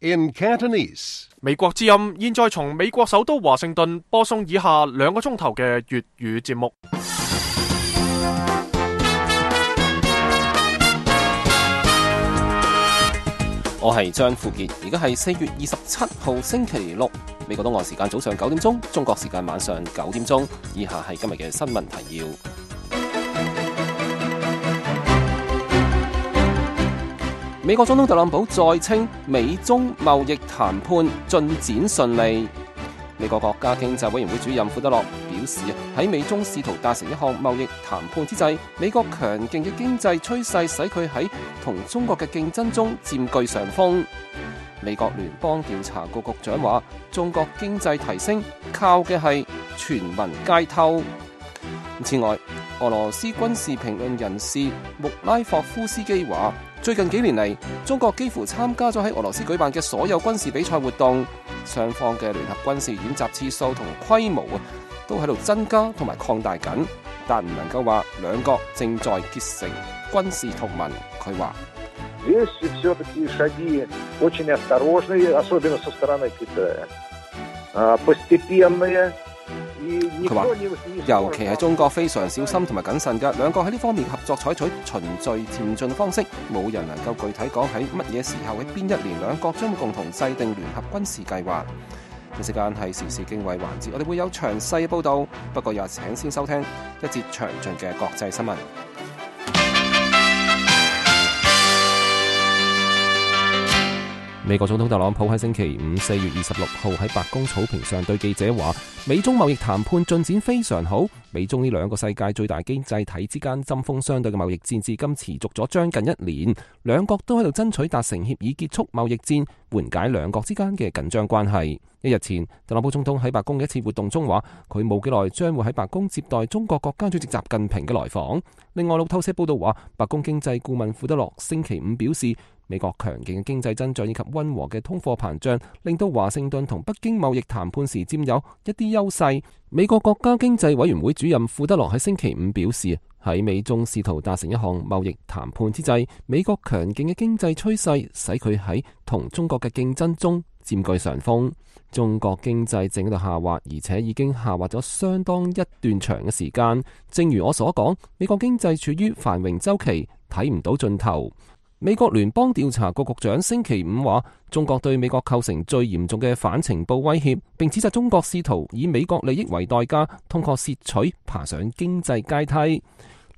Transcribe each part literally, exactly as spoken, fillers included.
in Cantonese. 美國之音現在從美國首都華盛頓播送以下兩個鐘頭嘅粵語節目。我係張富傑，而家係四月二十七號星期六，美國東岸時間早上九點鐘，中國時間晚上九點鐘。以下係今日嘅新聞提要。美國總統特朗普再稱美中貿易談判進展順利。美國國家經濟委員會主任庫德洛表示，喺美中試圖達成一項貿易談判之際，美國強勁嘅經濟趨勢使佢喺同中國嘅競爭中佔據上風。美國聯邦調查局局長話，中國經濟提升靠嘅係全民皆偷。此外，俄羅斯軍事評論人士穆拉霍夫斯基話，最近幾年嚟，中國幾乎參加咗喺俄羅斯舉辦嘅所有軍事比賽活動，雙方嘅聯合軍事演習次數同規模啊，都喺度增加同埋擴大緊，但唔能夠話兩國正在結成軍事同盟。佢話佢話，尤其係中國非常小心同埋謹慎嘅，兩國喺呢方面合作採取循序漸進方式，冇人能夠具體講喺乜嘢時候喺邊一年兩國將會共同制定聯合軍事計劃。呢時間係時事經緯環節，我哋會有詳細報道，不過又請先收聽一節詳盡嘅國際新聞。美國總統特朗普喺星期五四月二十六號喺白宮草坪上對記者話，美中貿易談判進展非常好，美中呢兩個世界最大經濟體之間針鋒相對嘅貿易戰至今持續咗將近一年，兩國都喺度爭取達成協議結束貿易戰，緩解兩國之間嘅緊張關係。一日前，特朗普總統喺白宮嘅一次活動中話，佢冇幾耐將會喺白宮接待中國國家主席習近平嘅來訪。另外，路透社報道話，白宮經濟顧問庫德洛星期五表示，美國強勁嘅經濟增長以及溫和嘅通貨膨脹，令到華盛頓同北京貿易談判時佔有一啲優勢。美國國家經濟委員會主任庫德洛喺星期五表示，喺美中試圖達成一項貿易談判之際，美國強勁嘅經濟趨勢使佢喺同中國嘅競爭中佔據上風。中國經濟正喺度下滑，而且已經下滑咗相當一段長嘅時間。正如我所講，美國經濟處於繁榮週期，睇唔到盡頭。美國聯邦調查局局長星期五話，中國對美國構成最嚴重嘅反情報威脅，並指責中國試圖以美國利益為代價，通過竊取爬上經濟階梯。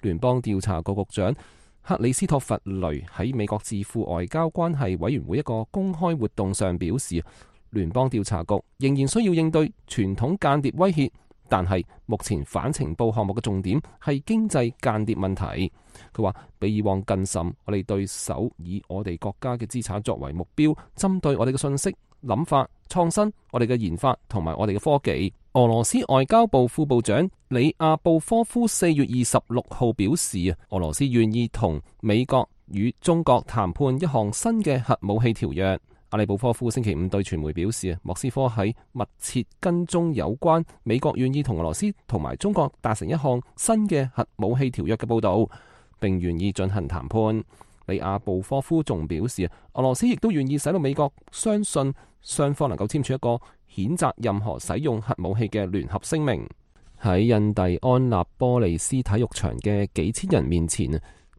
聯邦調查局局長克里斯托弗雷喺美國智庫外交關係委員會一個公開活動上表示，聯邦調查局仍然需要應對傳統間諜威脅，但係目前反情報項目嘅重點係經濟間諜問題。佢話比以往更甚，我哋對手以我哋國家嘅資產作為目標，針對我哋嘅信息、諗法、創新、我哋嘅研發同埋我哋嘅科技。俄羅斯外交部副部長里亞布科夫四月二十六號表示，俄羅斯願意同美國與中國談判一項新嘅核武器條約。阿里布科夫星期五對傳媒表示，莫斯科喺密切跟蹤有關美國願意同俄羅斯同埋中國達成一項新嘅核武器條約嘅報道，並願意進行談判。里亞布科夫仲表示，俄羅斯亦都願意使到美國相信雙方能夠簽署一個譴責任何使用核武器嘅聯合聲明。喺印第安納波利斯體育場嘅幾千人面前，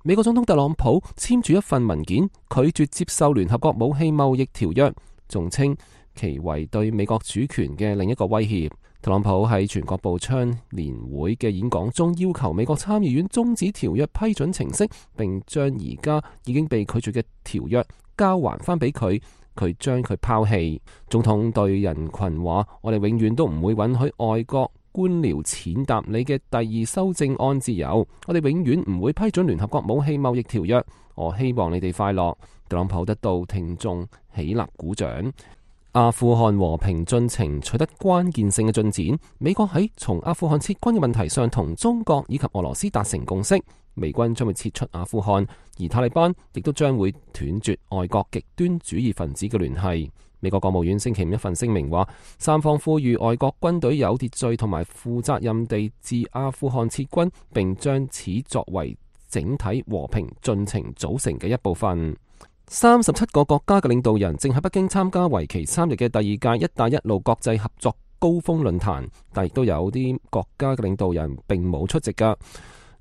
美國總統特朗普簽署一份文件，拒絕接受聯合國武器貿易條約，仲稱其為對美國主權嘅另一個威脅。特朗普喺全國步槍年會嘅演講中要求美國參議院終止條約批准程式，並將而家已經被拒絕嘅條約交還翻俾佢，佢將佢拋棄。總統對人群話，我哋永遠都唔會允許外國官僚踐踏你嘅第二修正案自由，我哋永遠唔會批准聯合國武器貿易條約。我希望你哋快樂。特朗普得到聽眾起立鼓掌。阿富汗和平進程取得關鍵性嘅進展，美國喺從阿富汗撤軍嘅問題上同中國以及俄羅斯達成共識，美軍將會撤出阿富汗，而塔利班亦都將會斷絕外國極端主義分子嘅聯繫。美國國務院星期五一份聲明話，三方呼籲外國軍隊有秩序同埋負責任地自阿富汗撤軍，並將此作為整體和平進程組成嘅一部分。三十七個國家嘅領導人正喺北京參加為期三日嘅第二屆一帶一路國際合作高峰論壇，但亦都有啲國家嘅領導人並冇出席㗎。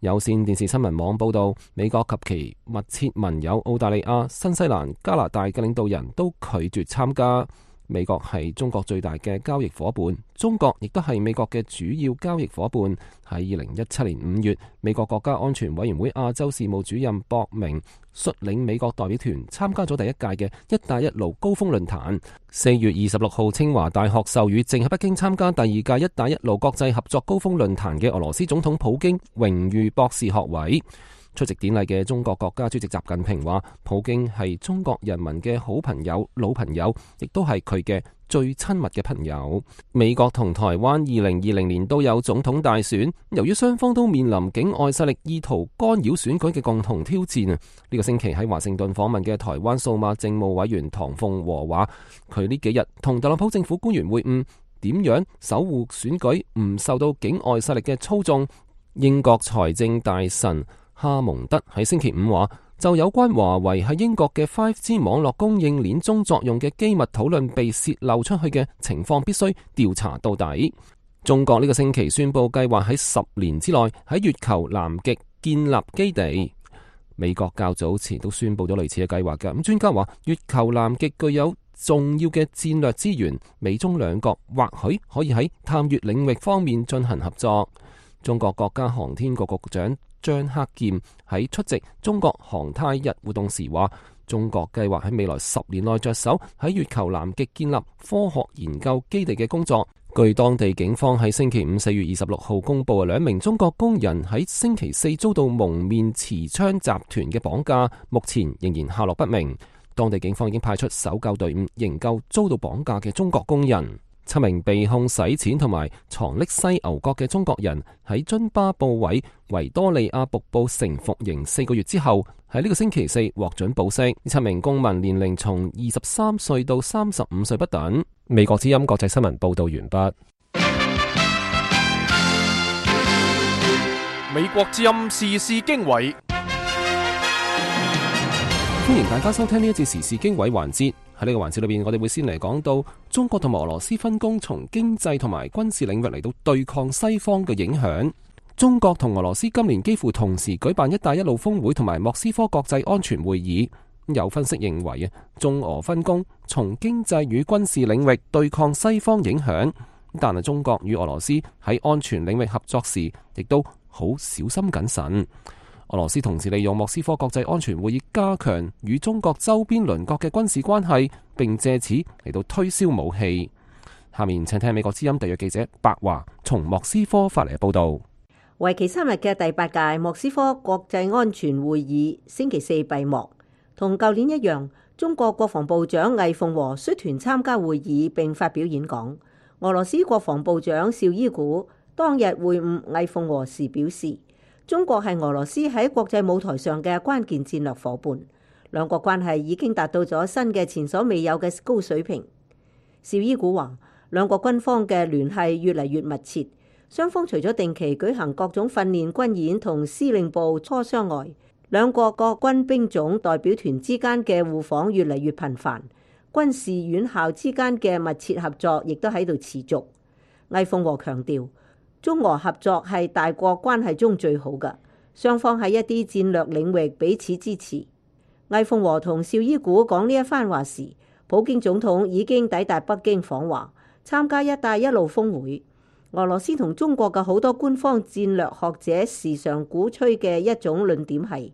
有線電視新聞網報道，美國及其密切盟友澳大利亞、新西蘭、加拿大嘅領導人都拒絕參加。美國係中國最大嘅交易夥伴，中國亦都係美國嘅主要交易夥伴。喺二零一七年五月，美國國家安全委員會亞洲事務主任博明率領美國代表團參加咗第一屆嘅一帶一路高峰論壇。四月二十六號，清華大學授予正喺北京參加第二屆一帶一路國際合作高峰論壇嘅俄羅斯總統普京榮譽博士學位。出席典禮嘅中國國家主席習近平話，普京係中國人民嘅好朋友、老朋友，亦都係佢嘅最親密嘅朋友。美國同台灣二零二零年都有總統大選，由於雙方都面臨境外勢力意圖干擾選舉嘅共同挑戰啊！呢個星期喺華盛頓訪問嘅台灣數碼政務委員唐鳳和話，佢呢幾日同特朗普政府官員會晤，點樣守護選舉唔受到境外勢力嘅操縱。英國財政大臣哈蒙德喺星期五話，就有關華為喺英國嘅 五 G 網絡供應鏈中作用嘅機密討論被洩漏出去嘅情況，必須調查到底。中國呢個星期宣布計劃喺十年之內喺月球南極建立基地。美國較早前都宣布咗類似嘅計劃嘅。咁專家話，月球南極具有重要嘅戰略資源，美中兩國或許可以喺探月領域方面進行合作。中國國家航天局局長張克儉喺出席中國航太日活動時話，中國計劃喺未來十年內着手喺月球南極建立科學研究基地嘅工作。據當地警方喺星期五四月二十六號公布，兩名中國工人喺星期四遭到蒙面持槍集團嘅綁架，目前仍然下落不明。當地警方已經派出搜救隊伍營救遭到綁架嘅中國工人。七名被控洗錢同埋藏匿犀牛角嘅中國人喺津巴布韋維多利亞瀑布城服刑四個月之後，喺呢個星期四獲准保釋。呢七名公民年齡從二十三歲到三十五歲不等。美國之音國際新聞報道完畢。美國之音時事經緯，歡迎大家收聽呢一節時事經緯環節。喺呢個環節裏邊，我哋會先嚟講到中國同俄羅斯分工從經濟同埋軍事領域嚟到對抗西方嘅影響。中國同俄羅斯今年幾乎同時舉辦一帶一路峰會同埋莫斯科國際安全會議。有分析認為啊，中俄分工從經濟與軍事領域對抗西方影響，但係中國與俄羅斯喺安全領域合作時，亦都好小心謹慎。俄羅斯同時利用莫斯科國際安全會議加強與中國周邊鄰國嘅軍事關係，並借此嚟到推銷武器。下面請聽美國之音特約記者白華從莫斯科發嚟嘅報道。為期三日嘅第八屆莫斯科國際安全會議星期四閉幕，同舊年一樣，中國國防部長魏鳳和率團參加會議並發表演講。俄羅斯國防部長紹伊古當日會晤魏鳳和時表示，中國係俄羅斯喺國際舞台上嘅關鍵戰略夥伴，兩國關係已經達到咗新嘅前所未有嘅高水平。紹伊古話，兩國軍方嘅聯繫越嚟越密切，雙方除咗定期舉行各種訓練軍演同司令部磋商外，兩國各軍兵種代表團之間嘅互訪越嚟越頻繁，軍事院校之間嘅密切合作亦都喺度持續。魏鳳和強調，中俄合作係大國關係中最好嘅，雙方喺一啲戰略領域彼此支持。魏鳳和同紹伊古講呢一番話時，普京總統已經抵達北京訪華，參加一帶一路峰會。俄羅斯同中國嘅好多官方戰略學者時常鼓吹嘅一種論點係，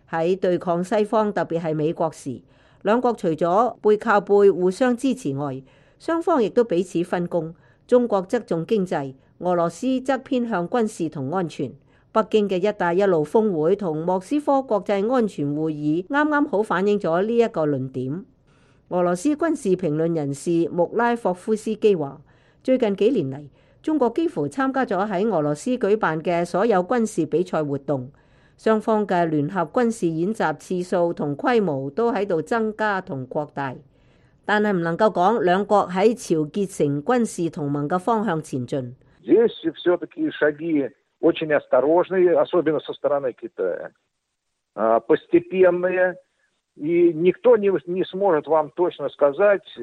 喺對抗西方，特別係美國時，兩國除咗背靠背互相支持外，雙方亦都彼此分工。中國側重經濟，俄羅斯則偏向軍事同安全。北京嘅一帶一路峰會同莫斯科國際安全會議啱啱好反映咗呢一個論點。俄羅斯軍事評論人士穆拉霍夫斯基話，最近幾年嚟，中國幾乎參加咗喺俄羅斯舉辦嘅所有軍事比賽活動，雙方嘅聯合軍事演習次數同規模都喺度增加同擴大。但係唔能夠講兩國喺朝結成軍事同盟嘅方向前進。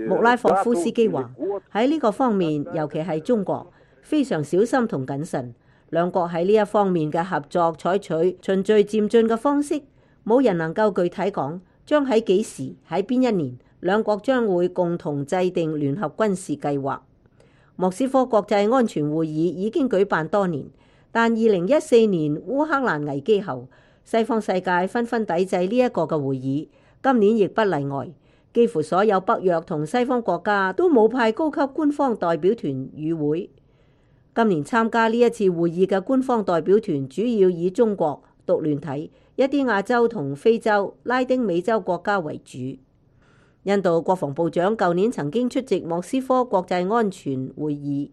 穆拉霍夫斯基話：喺呢個方面，尤其係中國，非常小心同謹慎。兩國喺呢一方面嘅合作採取循序漸進嘅方式，冇人能夠具體講將喺幾時喺邊一年，兩國將會共同制定聯合軍事計劃。莫斯科國際安全會議已經舉辦多年，但二零一四年烏克蘭危機後，西方世界紛紛抵制呢一個嘅會議，今年亦不例外。幾乎所有北約同西方國家都冇派高級官方代表團與會。今年參加呢一次會議嘅官方代表團主要以中國、獨聯體、一啲亞洲同非洲、拉丁美洲國家為主。印度國防部長舊年曾經出席莫斯科國際安全會議，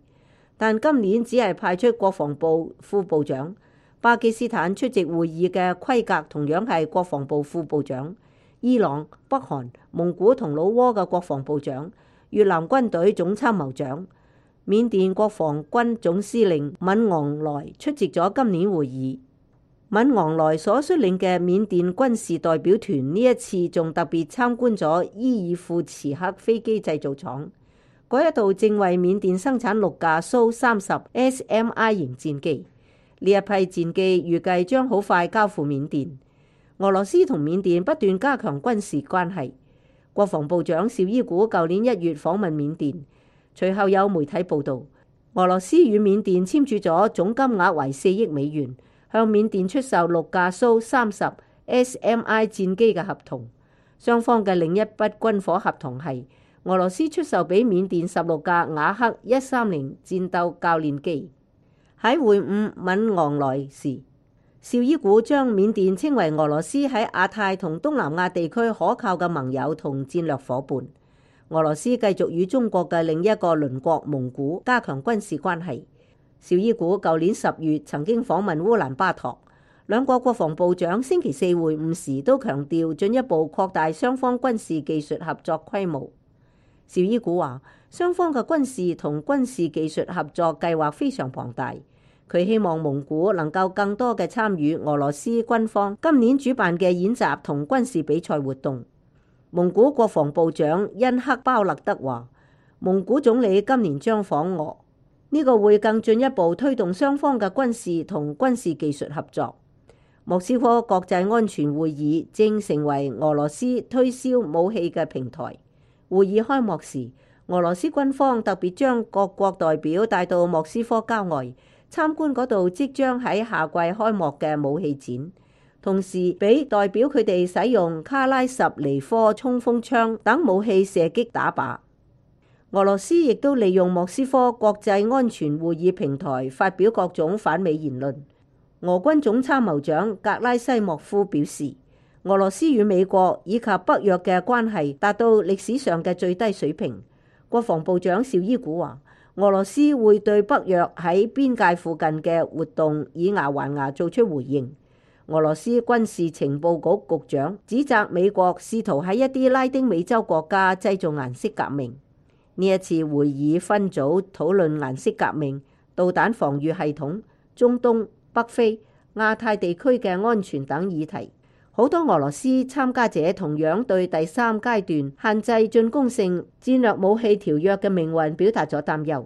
但今年只係派出國防部副部長。巴基斯坦出席會議嘅規格同樣係國防部副部長。伊朗、北韓、蒙古同老撾嘅國防部長，越南軍隊總參謀長，緬甸國防軍總司令敏昂萊出席咗今年會議。敏昂萊所率領嘅緬甸軍事代表團呢一次仲特別參觀咗伊爾庫茨克飛機製造廠，嗰一度正為緬甸生產六架蘇三十 S M I 型戰機，呢一批戰機預計將好快交付緬甸。俄羅斯同緬甸不斷加強軍事關係。國防部長紹伊古舊年一月訪問緬甸，隨後有媒體報道，俄羅斯與緬甸簽署咗總金額為四億美元，向緬甸出售六架蘇三十 S M I 戰機嘅合同。雙方嘅另一筆軍火合同係俄羅斯出售俾緬甸十六架雅克一三零戰鬥教練機。喺會晤敏昂萊時，紹伊古將緬甸稱為俄羅斯喺亞太同東南亞地區可靠嘅盟友同戰略夥伴。俄羅斯繼續與中國嘅另一個鄰國蒙古加強軍事關係。紹伊古舊年十月曾經訪問烏蘭巴托，兩國國防部長星期四會晤時都強調進一步擴大雙方軍事技術合作規模。紹伊古話，雙方嘅軍事同軍事技術合作計劃非常龐大。佢希望蒙古能夠更多嘅參與俄羅斯軍方今年主辦嘅演習同軍事比賽活動。蒙古國防部長恩克包勒德話，蒙古總理今年將訪俄，呢個會更進一步推動雙方嘅軍事同軍事技術合作。莫斯科國際安全會議正成為俄羅斯推銷武器嘅平台。會議開幕時，俄羅斯軍方特別將各國代表帶到莫斯科郊外參觀嗰度即將喺夏季開幕嘅武器展，同時俾代表佢哋使用卡拉什尼科衝鋒槍等武器射擊打靶。俄羅斯亦都利用莫斯科國際安全會議平台發表各種反美言論。俄軍總參謀長格拉西莫夫表示，俄羅斯與美國以及北約嘅關係達到歷史上嘅最低水平。國防部長紹伊古話，俄羅斯會對北約喺邊界附近嘅活動以牙還牙做出回應。俄羅斯軍事情報局局長指責美國試圖喺一啲拉丁美洲國家製造顏色革命。呢一次會議分組討論顏色革命、導彈防禦系統、中東、北非、亞太地區嘅安全等議題。好多俄羅斯參加者同樣對第三階段限制進攻性戰略武器條約嘅命運表達咗擔憂。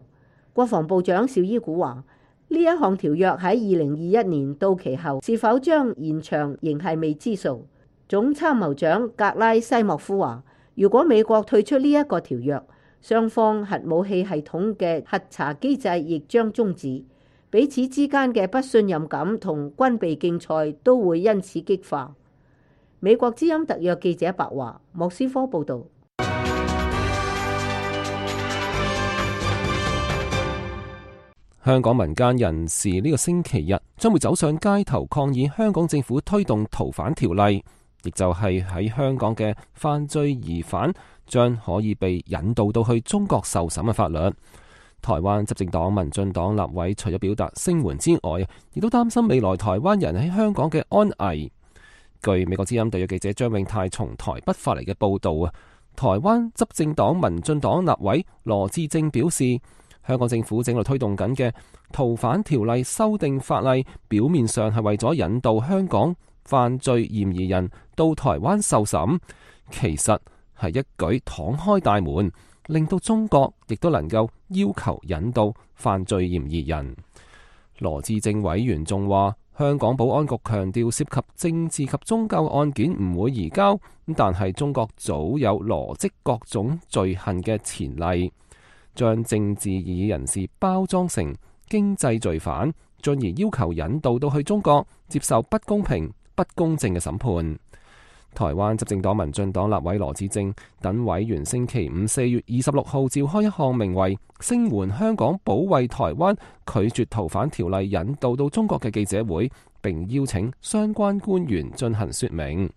國防部長紹伊古話，呢一項條約喺二零二一年到期後是否將延長仍係未知數。總參謀長格拉西莫夫話，如果美國退出呢一個條約，雙方核武器系統嘅核查機制亦將終止，彼此之間嘅不信任感同軍備競賽都會因此激化。美國之音特約記者白華，莫斯科報道。香港民間人士呢個星期日將會走上街頭抗議香港政府推動逃犯條例，亦就係喺香港嘅犯罪疑犯將可以被引渡到去中國受審嘅法律。台灣執政黨民進黨立委除咗表達聲援之外，亦都擔心未來台灣人喺香港嘅安危。據美國之音特約記者張永泰從台北發嚟嘅報道啊，台灣執政黨民進黨立委羅致政表示，香港政府正在推動緊嘅逃犯條例修訂法例，表面上係為咗引導香港犯罪嫌疑人到台灣受審，其實係一舉敞開大門，令到中國亦都能夠要求引渡犯罪嫌疑人。羅致政委員仲話，香港保安局強調涉及政治及宗教案件唔會移交，但係中國早有羅織各種罪行嘅前例，將政治異議人士包裝成經濟罪犯，進而要求引渡到去中國接受不公平、不公正嘅審判。台灣執政黨民進黨立委羅致政等委員星期五四月二十六號召開一項名為聲援香港保衛台灣拒絕逃犯條例引渡到中國嘅記者會，並邀請相關官員進行說明。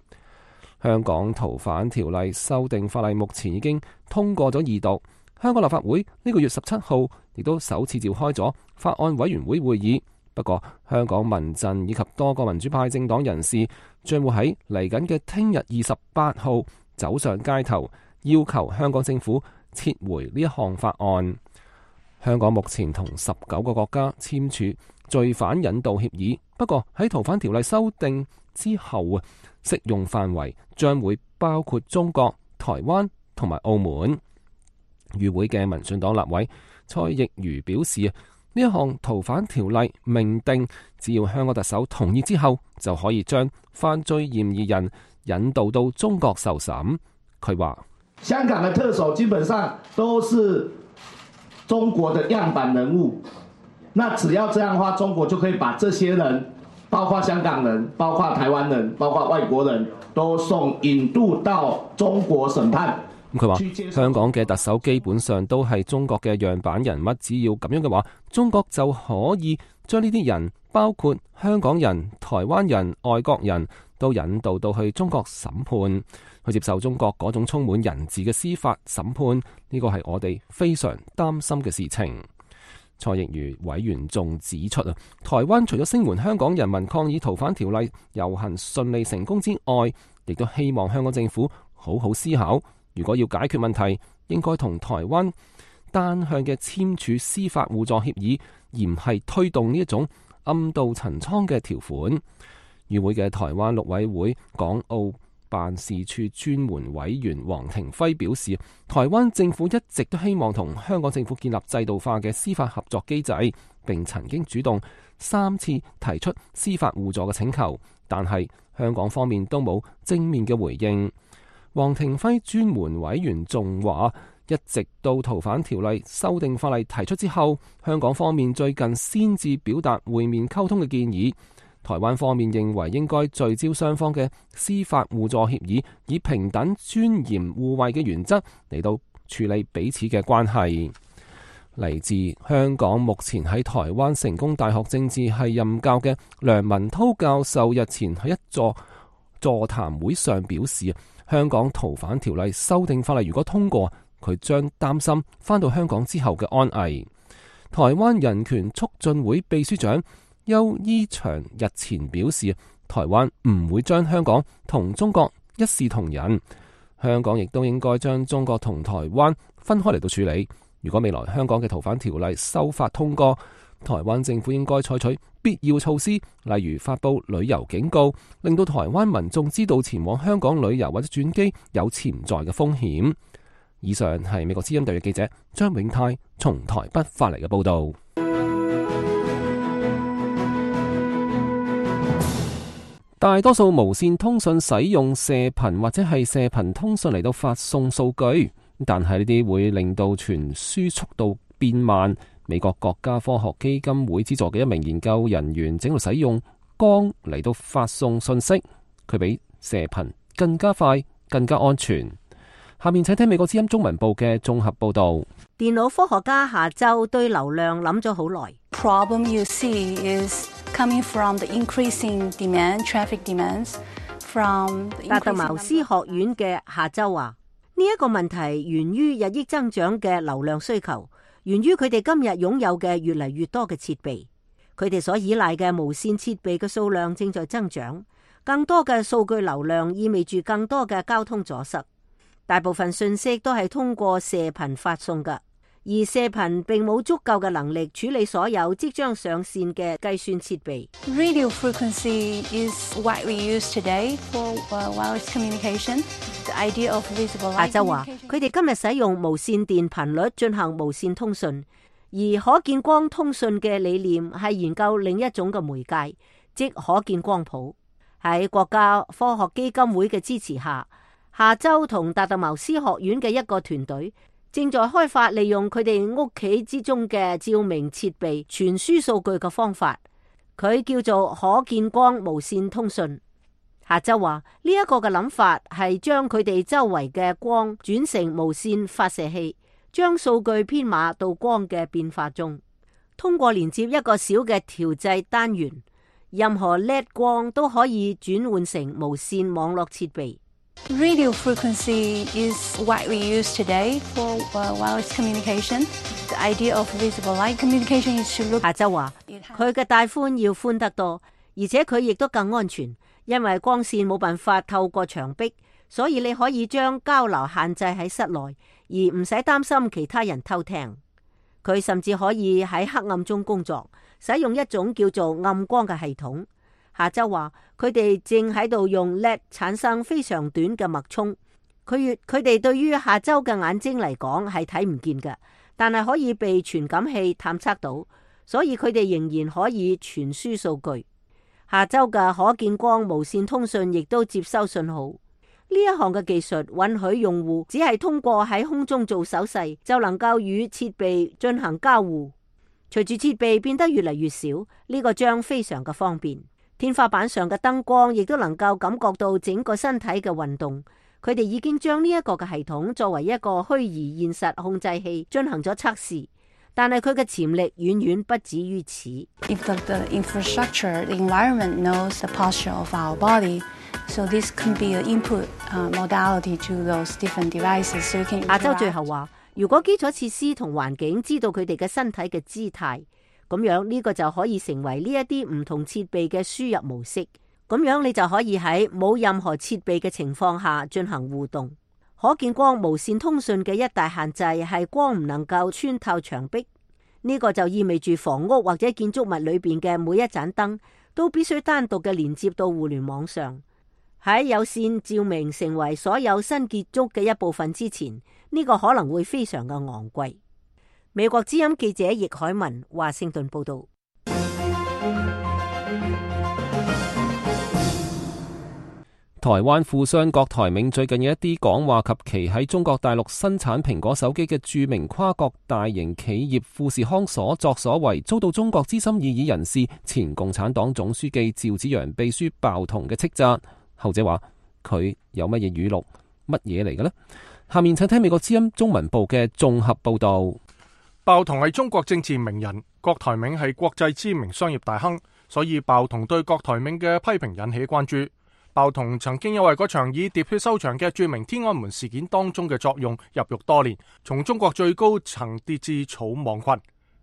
香港逃犯條例修訂法例目前已經通過咗二讀，香港立法會呢個月十七號亦都首次召開咗法案委員會會議。不過，香港民陣以及多個民主派政黨人士將會喺嚟緊嘅聽日二十八號走上街頭，要求香港政府撤回呢一項法案。香港目前同十九個國家簽署罪犯引渡協議，不過喺逃犯條例修訂之後啊，適用範圍將會包括中國、台灣同埋澳門。與會嘅民進黨立委蔡奕瑜表示啊，呢一項逃犯條例明定，只要香港特首同意之後，就可以將犯罪嫌疑人引渡到中國受審。佢話：香港的特首基本上都是中國的樣板人物，那只要這樣的話，中國就可以把這些人，包括香港人、包括台灣人、包括外國人都送引渡到中國審判。佢話香港嘅特首基本上都係中國嘅樣板人物，只要咁樣嘅話，中國就可以將呢啲人，包括香港人、台灣人、外國人都引渡到去中國審判，去接受中國嗰種充滿人治嘅司法審判。呢個係我哋非常擔心嘅事情。蔡奕瑜委員仲指出啊，台灣除咗聲援香港人民抗議逃犯條例遊行順利成功之外，亦都希望香港政府好好思考，如果要解決問題，應該同台灣單向嘅簽署司法互助協議，而唔係推動呢一種暗度陳倉嘅條款。與會嘅台灣陸委會港澳辦事處專門委員黃庭輝表示，台灣政府一直都希望同香港政府建立制度化嘅司法合作機制，並曾經主動三次提出司法互助嘅請求，但係香港方面都冇正面嘅回應。黃庭輝專門委員仲話，一直到逃犯條例修訂法例提出之後，香港方面最近先至表達會面溝通嘅建議。台灣方面認為應該聚焦雙方嘅司法互助協議，以平等、尊嚴、互惠嘅原則嚟到處理彼此嘅關係。嚟自香港目前喺台灣成功大學政治系任教嘅梁文韜教授日前喺一座座談會上表示，香港逃犯條例修訂法例如果通過，佢將擔心返到香港之後嘅安危。台灣人權促進會秘書長邱伊祥日前表示，台灣唔會將香港同中國一視同仁，香港亦都應該將中國同台灣分開嚟到處理。如果未來香港嘅逃犯條例修法通過，台灣政府應該採取必要措施，例如發布旅遊警告，令到台灣民眾知道前往香港旅遊或者轉機有潛在嘅風險。以上係美國之音特約記者張永泰從台北發嚟嘅報道。大多數無線通訊使用射頻或者係射頻通訊嚟到發送數據，但係呢啲會令到傳輸速度變慢。美國國家科學基金會資助嘅一名研究人員正喺度使用光嚟到發送信息，佢比射頻更加快、更加安全。下面請聽美國之音中文部嘅綜合報道。電腦科學家下周對流量諗咗好耐。Problem you see is coming from the increasing demand, traffic demands from the increasing 達特茅斯學院嘅下周話，呢一個問題源於日益增長嘅流量需求，源於佢哋今日擁有嘅越嚟越多嘅設備，佢哋所依賴嘅無線設備嘅數量正在增長，更多嘅數據流量意味住更多嘅交通阻塞。大部分信息都係通過射頻發送㗎，而而射頻並冇足夠嘅能力處理所有即將上線嘅計算設備。Radio frequency is widely used today for wireless communication. The idea of visible light communication. 夏州話：佢哋今日使用無線電頻率進行無線通訊，而可見光通訊嘅理念係研究另一種嘅媒介，即可見光譜。喺國家科學基金會嘅支持下，夏州同達特茅斯學院嘅一個團隊正在開發利用佢哋屋企之中嘅照明設備傳輸數據嘅方法，佢叫做可見光無線通訊。夏州話呢一個嘅諗法係將佢哋周圍嘅光轉成無線發射器，將數據編碼到光嘅變化中，通過連接一個小嘅調製單元，任何 L E D 光都可以轉換成無線網絡設備。Radio frequency is widely used today for wireless communication. The idea of visible light communication is to look. 夏州話佢嘅帶寬要寬得多，而且佢亦都更安全，因為光線冇辦法透過牆壁，所以你可以將交流限制喺室內，而唔使擔心其他人偷聽。佢甚至可以喺黑暗中工作，使用一種叫做暗光嘅系統。夏州話佢哋正喺度用 L E D 產生非常短嘅脈衝，佢佢哋對於夏州嘅眼睛嚟講係睇唔見嘅，但係可以被傳感器探測到，所以佢哋仍然可以傳輸數據。夏州嘅可見光無線通訊亦都接收信號。呢一項嘅技術允許用戶只係通過喺空中做手勢就能夠與設備進行交互。隨住設備變得越嚟越少，呢個將非常嘅方便。天花板上嘅燈光亦都能夠感覺到整個身體嘅運動。佢哋已經將呢一個嘅系統作為一個虛擬現實控制器進行咗測試，但係佢嘅潛力遠遠不止於此。If the, the infrastructure, the environment knows the posture of our body, so this can be an input uh, modality to those different devices. So you can. 亞洲最後話，如果基礎設施同環境知道佢哋嘅身體嘅姿態，咁樣呢個就可以成為呢一啲唔同設備嘅輸入模式。咁樣你就可以喺冇任何設備嘅情況下進行互動。可見光無線通訊嘅一大限制係光唔能夠穿透牆壁。呢個就意味住房屋或者建築物裏邊嘅每一盞燈都必須單獨嘅連接到互聯網上。喺有線照明成為所有新建築嘅一部分之前，呢個可能會非常嘅昂貴。美國之音記者易海文華盛頓報道。台灣富商郭台銘最近有一啲講話及其喺中國大陸生產蘋果手機嘅著名跨國大型企業富士康所作所為，遭到中國資深異議人士前共產黨總書記趙紫陽秘書鮑彤嘅斥責。後者話佢有乜嘢語錄，乜嘢嚟嘅呢？下面請聽美國之音中文部嘅綜合報道。鮑彤係中國政治名人，郭台銘係國際知名商業大亨，所以鮑彤對郭台銘嘅批評引起關注。鮑彤曾經因為嗰場以喋血收場嘅著名天安門事件當中嘅作用入獄多年，從中國最高層跌至草莽群。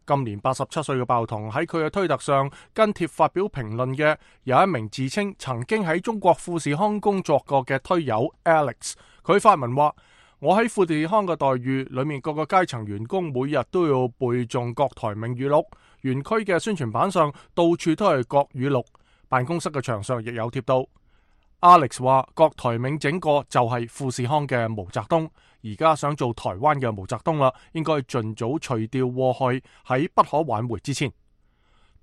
今年八十七歲嘅鮑彤喺佢嘅推特上跟帖發表評論嘅有一名自稱曾經喺中國富士康工作過嘅推友 Alex， 佢發文話：我喺富士康嘅待遇裏面，各個階層員工每日都要背誦郭台銘語錄，園區嘅宣傳板上到處都係郭語錄，辦公室嘅牆上亦有貼到。Alex 話郭台銘整個就係富士康嘅毛澤東，而家想做台灣嘅毛澤東啦，應該盡早除掉禍害，喺不可挽回之前。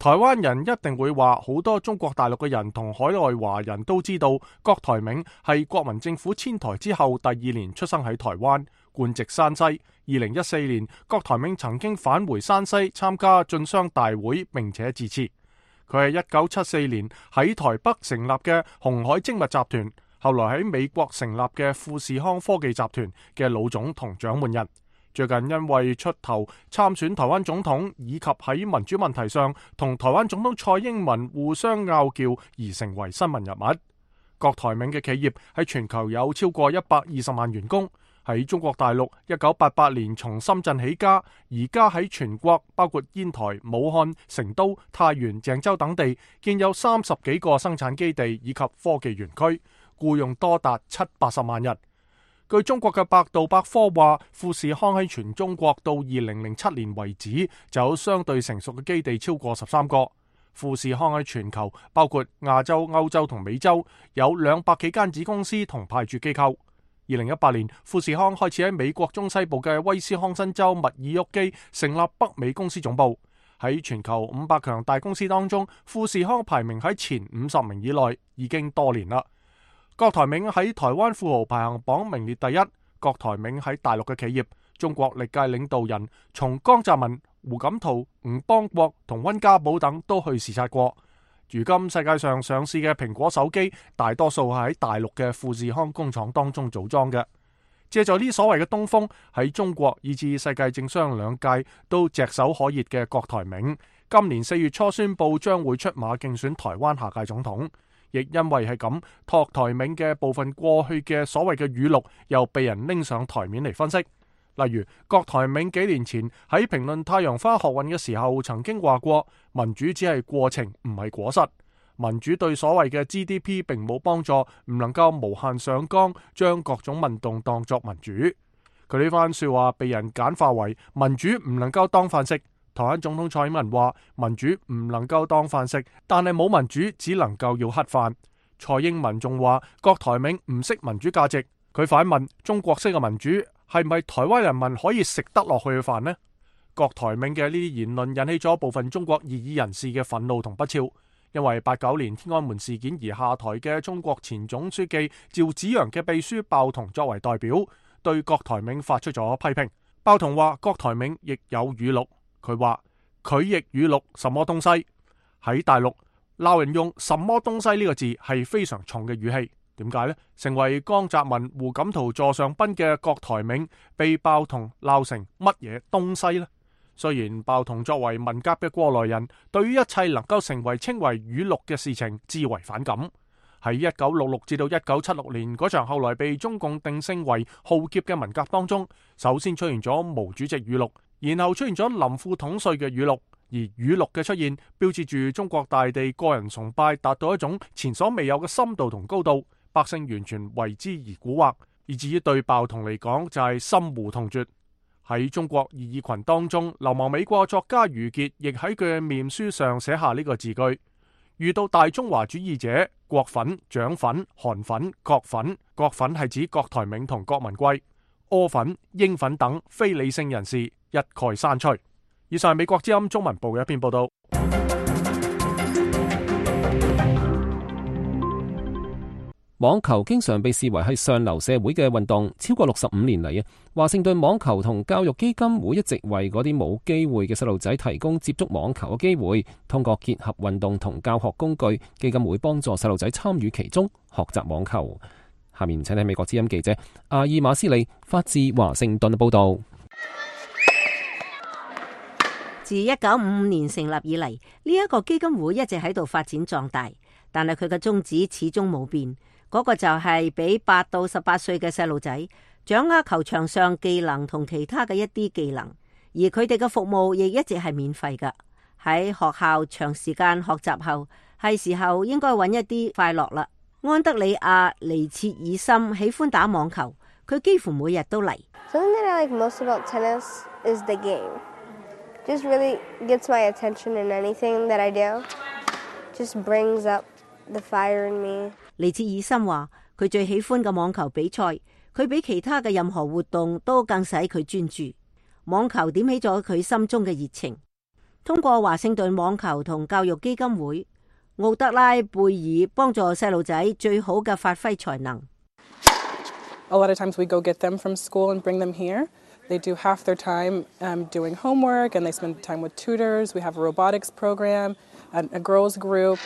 台灣人一定會話，好多中國大陸嘅人同海外華人都知道郭台銘係國民政府遷台之後第二年出生喺台灣，官籍山西。二零一四年，郭台銘曾經返回山西參加進商大會並且致辭。佢係一九七四年喺台北成立嘅鴻海精密集團，後來喺美國成立嘅富士康科技集團嘅老總同掌門人。最近因為出頭參選台灣總統，以及喺民主問題上同台灣總統蔡英文互相拗撬而成為新聞人物。郭台銘嘅企業喺全球有超過一百二十萬員工。喺中國大陸一九八八年從深圳起家，而家喺全國包括煙台、武漢、成都、太原、鄭州等地建有三十幾個生產基地以及科技園區，僱用多達七八十萬人。據中國嘅百度百科話，富士康喺全中國到二零零七年為止就有相對成熟嘅基地超過十三個。富士康喺全球包括亞洲、歐洲同美洲有兩百幾間子公司同派駐機構。二零一八年，富士康開始喺美國中西部嘅威斯康辛州密爾沃基成立北美公司總部。喺全球五百強大公司當中，富士康排名喺前五十名以內已經多年啦。郭台銘喺台灣富豪排行榜名列第一。郭台銘喺大陸嘅企業，中國歷屆領導人從江澤民、胡錦濤、吳邦國同溫家寶等都去視察過。如今世界上上市嘅蘋果手機，大多數係喺大陸嘅富士康工廠當中組裝嘅。借助呢所謂嘅東風，喺中國以至世界政商兩界都炙手可熱嘅郭台銘，今年四月初宣布將會出馬競選台灣下屆總統。亦因為係咁，郭台銘嘅部分過去嘅所謂嘅語錄又被人拎上台面嚟分析。例如，郭台銘幾年前喺評論太陽花學運嘅時候，曾經話過民主只係過程，唔係果實。民主對所謂嘅 G D P 並冇幫助，唔能夠無限上綱，將各種運動當作民主。佢呢番說話被人簡化為民主唔能夠當飯食。台灣總統蔡英文話民主唔能夠當飯食，但係冇民主只能夠要乞飯。蔡英文仲話郭台銘唔識民主價值，佢反問中國式嘅民主係咪台灣人民可以食得落去嘅飯呢？郭台銘嘅呢啲言論引起咗部分中國異議人士嘅憤怒同不肖，因為八九年天安門事件而下台嘅中國前總書記趙紫陽嘅秘書鮑彤作為代表，對郭台銘發出咗批評。鮑彤話郭台銘亦有語錄。佢話佢亦語錄什麼東西？喺大陸鬧人用什麼東西呢個字係非常重嘅語氣。點解呢？成為江澤民、胡錦濤座上賓嘅郭台銘被鮑彤鬧成乜嘢東西呢？雖然鮑彤作為文革嘅過來人，對於一切能夠成為稱為語錄嘅事情至為反感。喺一九六六至到一九七六年嗰場後來被中共定性為浩劫嘅文革當中，首先出現咗毛主席語錄，然後出現咗林副統帥嘅語錄，而語錄嘅出現標誌住中國大地個人崇拜達到一種前所未有嘅深度同高度，百姓完全為之而蠱惑，以至於對鮑彤嚟講就係深惡痛絕。喺中國異議群當中，流亡美國作家余傑亦喺佢嘅面書上寫下呢個字句：遇到大中華主義者，國粉、蔣粉、韓粉、國粉，國粉係指郭台銘同郭文貴，柯粉、英粉等非理性人士一概刪除。以上係美國之音中文部嘅一篇報道。網球經常被視為係上流社會嘅運動，超過六十五年嚟啊，華盛頓網球同教育基金會一直為嗰啲冇機會嘅細路仔提供接觸網球嘅機會，通過結合運動同教學工具，基金會幫助細路仔參與其中，學習網球。下面請睇美國之音記者阿爾馬斯利發自華盛頓嘅報道。自一九五五年成立以嚟，呢、這、一個基金會一直喺度發展壯大，但係佢嘅宗旨始終冇變。嗰個就係俾八到十八歲嘅細路仔掌握球場上技能同其他嘅一啲技能，而佢哋嘅服務亦一直係免費㗎。喺學校長時間學習後，係時候應該揾一啲快樂啦。安德里亞尼切爾森喜歡打網球，佢幾乎每日都嚟。Something that I like most about tennis is the game. Just really gets my attention in anything that I do. Just brings up the fire in me. 尼切爾森話佢最喜歡嘅網球比賽，佢比其他嘅任何活動都更使佢專注。網球點起咗佢心中嘅熱情。通過華盛頓網球同教育基金會，奧德拉貝爾幫助細路仔最好嘅發揮才能。A lot of times we go get them from school and bring them here. They do half their time um, doing homework and they spend time with tutors. We have a robotics program, a, a girls group.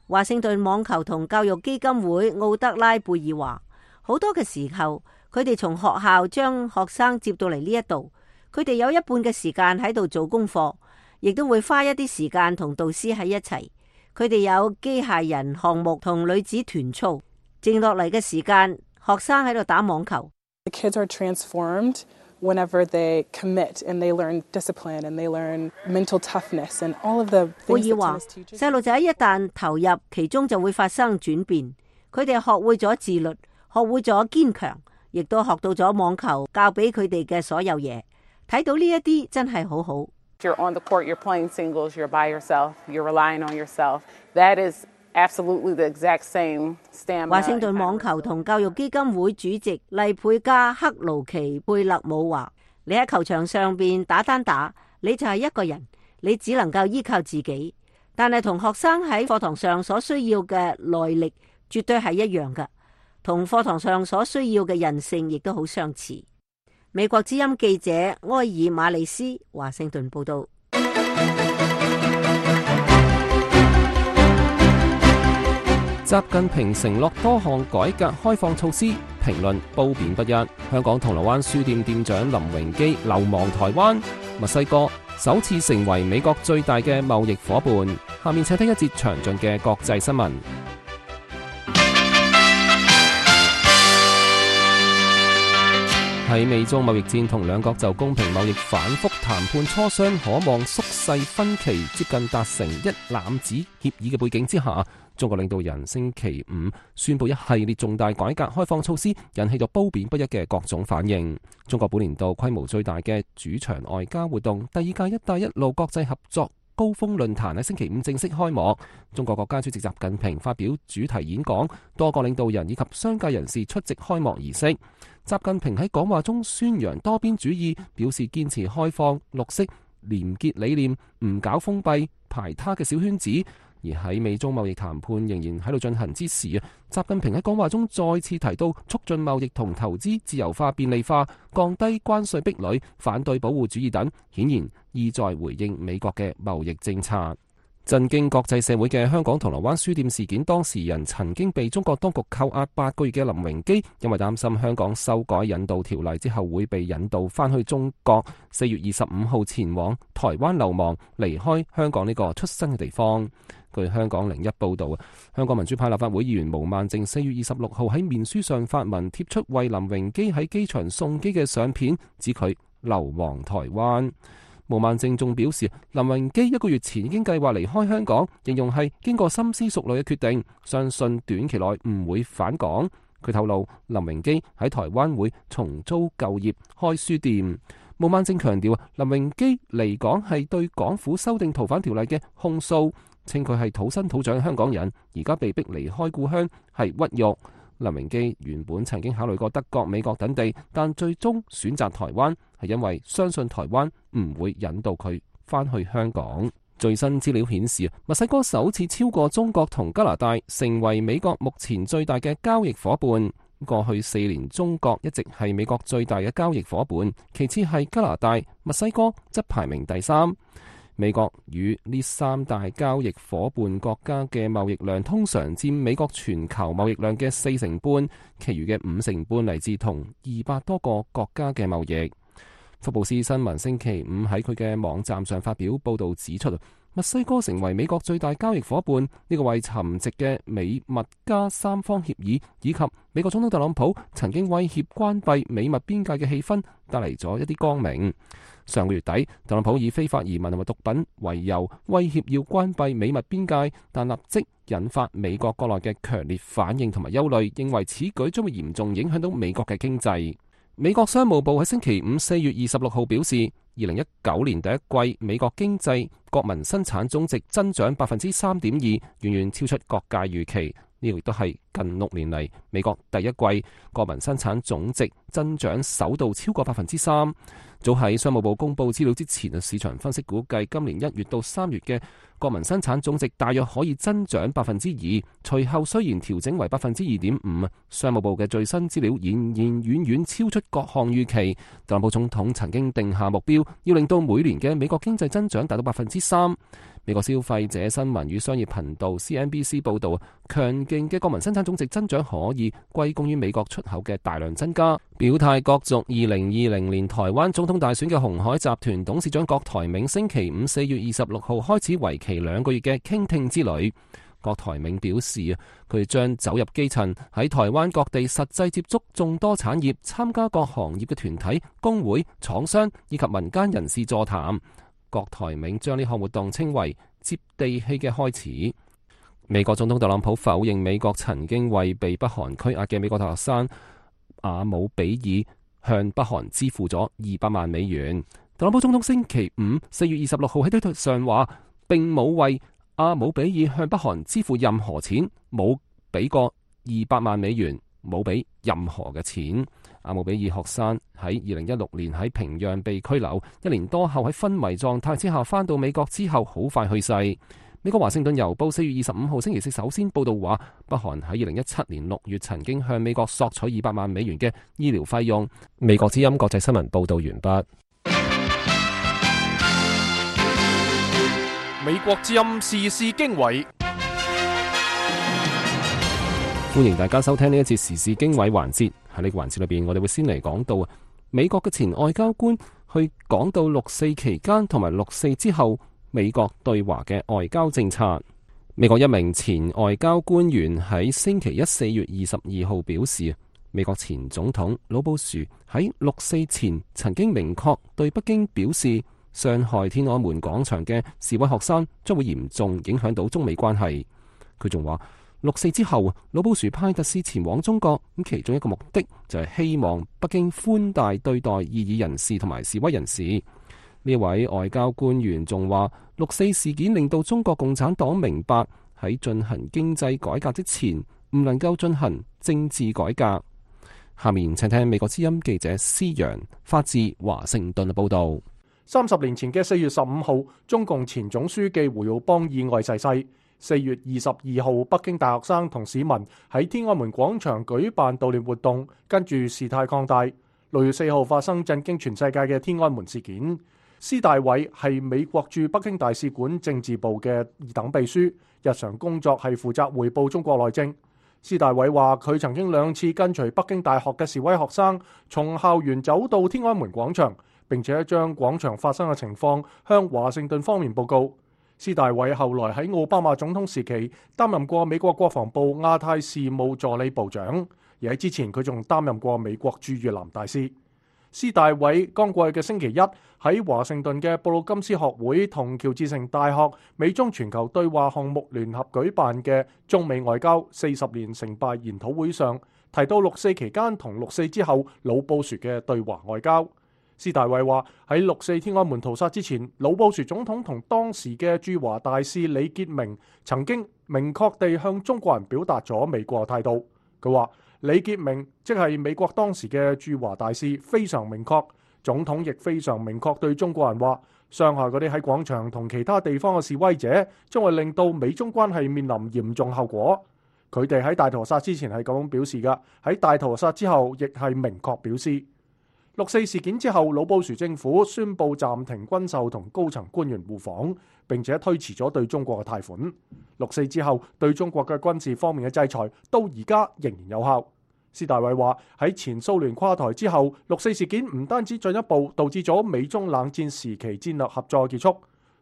華盛頓網球同教育基金會奧德拉貝爾話，好多嘅時候，佢哋從學校將學生接到嚟呢一度，佢哋有一半嘅時間喺度做功課，亦都會花一啲時間同導師喺一齊。佢哋有機械人項目同女子團操，剩落嚟嘅時間，學生喺度打網球。The kids are transformed whenever they commit and they learn discipline and they learn mental toughness and all of the things that tennis teaches. 細路仔一旦投入其中就會發生轉變，佢哋學會咗自律，學會咗堅強，亦都學到咗網球教俾佢哋嘅所有嘢。睇到呢一啲真係好好。You're on the court, you're playing singles, you're by yourself, you're relying on yourself. That is absolutely the exact same stamina. 華盛頓網球同教育基金會主席麗佩加克勞奇貝勒姆話：你喺球場上邊打單打，你就係一個人，你只能夠依靠自己。但係同學生喺課堂上所需要嘅耐力絕對係一樣㗎，同課堂上所需要嘅韌性亦都好相似。美國之音記者埃爾馬利斯華盛頓報道。習近平承諾多項改革開放措施，評論褒貶不一。香港銅鑼灣書店店長林榮基流亡台灣，墨西哥首次成為美國最大嘅貿易夥伴。下面請聽一節詳盡嘅國際新聞。喺美中貿易戰同兩國就公平貿易反覆談判磋商，可望縮細分歧，接近達成一攬子協議嘅背景之下，中國領導人星期五宣布一系列重大改革開放措施，引起咗褒貶不一嘅各種反應。中國本年度規模最大嘅主場外交活動，第二屆一帶一路國際合作高峰論壇喺星期五正式開幕，中國國家主席習近平發表主題演講，多個領導人以及商界人士出席開幕儀式。習近平喺講話中宣揚多邊主義，表示堅持開放、綠色、廉潔理念，唔搞封閉、排他嘅小圈子。而喺美中貿易談判仍然喺度進行之時啊，習近平喺講話中再次提到促進貿易同投資自由化便利化、降低關稅壁壘、反對保護主義等，顯然意在回應美國嘅貿易政策。震驚國際社會嘅香港銅鑼灣書店事件當事人曾經被中國當局扣押八個月嘅林榮基，因為擔心香港修改引渡條例之後會被引渡翻去中國，四月二十五號前往台灣流亡，離開香港呢個出生嘅地方。據香港零一報道，香港民主派立法會議員毛孟靜四月二十六號喺面書上發文貼出為林榮基喺機場送機嘅相片，指佢流亡台灣。毛孟靜仲表示，林榮基一個月前已經計劃離開香港，形容係經過深思熟慮嘅決定，相信短期內唔會返港。佢透露，林榮基喺台灣會重租舊業，開書店。毛孟靜強調，林榮基離港係對港府修訂逃犯條例嘅控訴，稱佢係土生土長香港人，而家被逼離開故鄉係屈辱。林榮基原本曾經考慮過德國、美國等地，但最終選擇台灣，係因為相信台灣唔會引導佢返去香港。最新資料顯示，墨西哥首次超過中國同加拿大，成為美國目前最大嘅交易夥伴。過去四年，中國一直係美國最大嘅交易夥伴，其次係加拿大，墨西哥則排名第三。美國與呢三大交易夥伴國家嘅貿易量通常佔美國全球貿易量嘅四成半，其餘嘅五成半嚟自同二百多個國家嘅貿易。福布斯新聞星期五喺佢嘅網站上發表報導指出，墨西哥成為美國最大交易夥伴，呢、這個為沉寂嘅美墨加三方協議以及美國總統特朗普曾經威脅關閉美墨邊界嘅氣氛帶嚟咗一啲光明。上個月底，特朗普以非法移民同埋毒品為由，威脅要關閉美墨邊界，但立即引發美國國內嘅強烈反應同埋憂慮，認為此舉將會嚴重影響到美國嘅經濟。美國商務部喺星期五四月二十六號表示，二零一九年第一季美國經濟國民生產總值增長百分之三點二，遠遠超出各界預期。呢個亦都係近六年嚟美國第一季國民生產總值增長首度超過百分之三。早喺商務部公布資料之前，市場分析估計今年一月到三月嘅國民生產總值大約可以增長百分之二。隨後雖然調整為百分之二點五，商務部嘅最新資料仍然遠遠超出各項預期。特朗普總統曾經定下目標，要令到每年嘅美國經濟增長達到百分之三。美國消費者新聞與商業頻道 C N B C 報道，強勁嘅國民生產總值增長可以歸功於美國出口嘅大量增加。表態角逐二零二零年台灣總統大選嘅鴻海集團董事長郭台銘星期五四月二十六號開始為期兩個月嘅傾聽之旅。郭台銘表示，佢將走入基層，喺台灣各地實際接觸眾多產業，參加各行業嘅團體、工會、廠商以及民間人士座談。郭台銘將呢項活動稱為接地氣嘅開始。美國總統特朗普否認美國曾經為被北韓拘押嘅美國大學生阿姆比爾向北韓支付咗二百萬美元。特朗普總統星期五四月二十六號喺推特上話，並冇為阿姆比爾向北韓支付任何錢，冇俾過二百萬美元，冇俾任何嘅錢。阿姆比爾學生喺二零一六年喺平壤被拘留，一年多後喺昏迷狀態之下返到美國之後，好快去世。美國華盛頓郵報四月二十五號星期四首先報道話，北韓喺二零一七年六月曾經向美國索取二百萬美元嘅醫療費用。美國之音國際新聞報道完畢。美國之音時事經緯，歡迎大家收聽呢一節時事經緯環節。喺呢個環節裏邊，我哋會先嚟講到美國嘅前外交官去講到六四期間同埋六四之後美國對華嘅外交政策。美國一名前外交官員喺星期一四月二十二號表示，美國前總統老布殊喺六四前曾經明確對北京表示，傷害天安門廣場嘅示威學生將會嚴重影響到中美關係。佢仲話，六四之後，老布殊派特使前往中國，咁其中一個目的就係希望北京寬大對待異議人士同埋示威人士。呢位外交官員仲話，六四事件令到中國共產黨明白喺進行經濟改革之前，唔能夠進行政治改革。下面請聽美國之音記者施洋發自華盛頓嘅報道。三十年前嘅四月十五號，中共前總書記胡耀邦意外逝世。四月二十二號，北京大學生同市民喺天安門廣場舉辦悼念活動，跟住事態擴大。六月四號發生震驚全世界嘅天安門事件。施大偉係美國駐北京大使館政治部嘅二等秘書，日常工作係負責匯報中國內政。施大偉話，佢曾經兩次跟隨北京大學嘅示威學生從校園走到天安門廣場，並且將廣場發生嘅情況向華盛頓方面報告。施大偉後來喺奧巴馬總統時期擔任過美國國防部亞太事務助理部長，而喺之前佢仲擔任過美國駐越南大使。施大偉剛過去嘅星期一喺華盛頓嘅布魯金斯學會同喬治城大學美中全球對話項目聯合舉辦嘅中美外交四十年成敗研討會上，提到六四期間同六四之後老布殊嘅對華外交。施大偉話，喺六四天安門屠殺之前，老布殊總統同當時嘅駐華大使李傑明曾經明確地向中國人表達咗美國態度。佢話，李傑明即係美國當時嘅駐華大使，非常明確，總統亦非常明確對中國人話，傷害嗰啲喺廣場同其他地方嘅示威者，將會令到美中關係面臨嚴重後果。佢哋喺大屠殺之前係咁樣表示㗎，喺大屠殺之後亦係明確表示。六四事件之後，老布殊政府宣布暫停軍售同高層官員互訪，並且推遲咗對中國嘅貸款。六四之後，對中國嘅軍事方面嘅制裁到而家仍然有效。施大偉話，喺前蘇聯垮台之後，六四事件唔單止進一步導致咗美中冷戰時期戰略合作結束，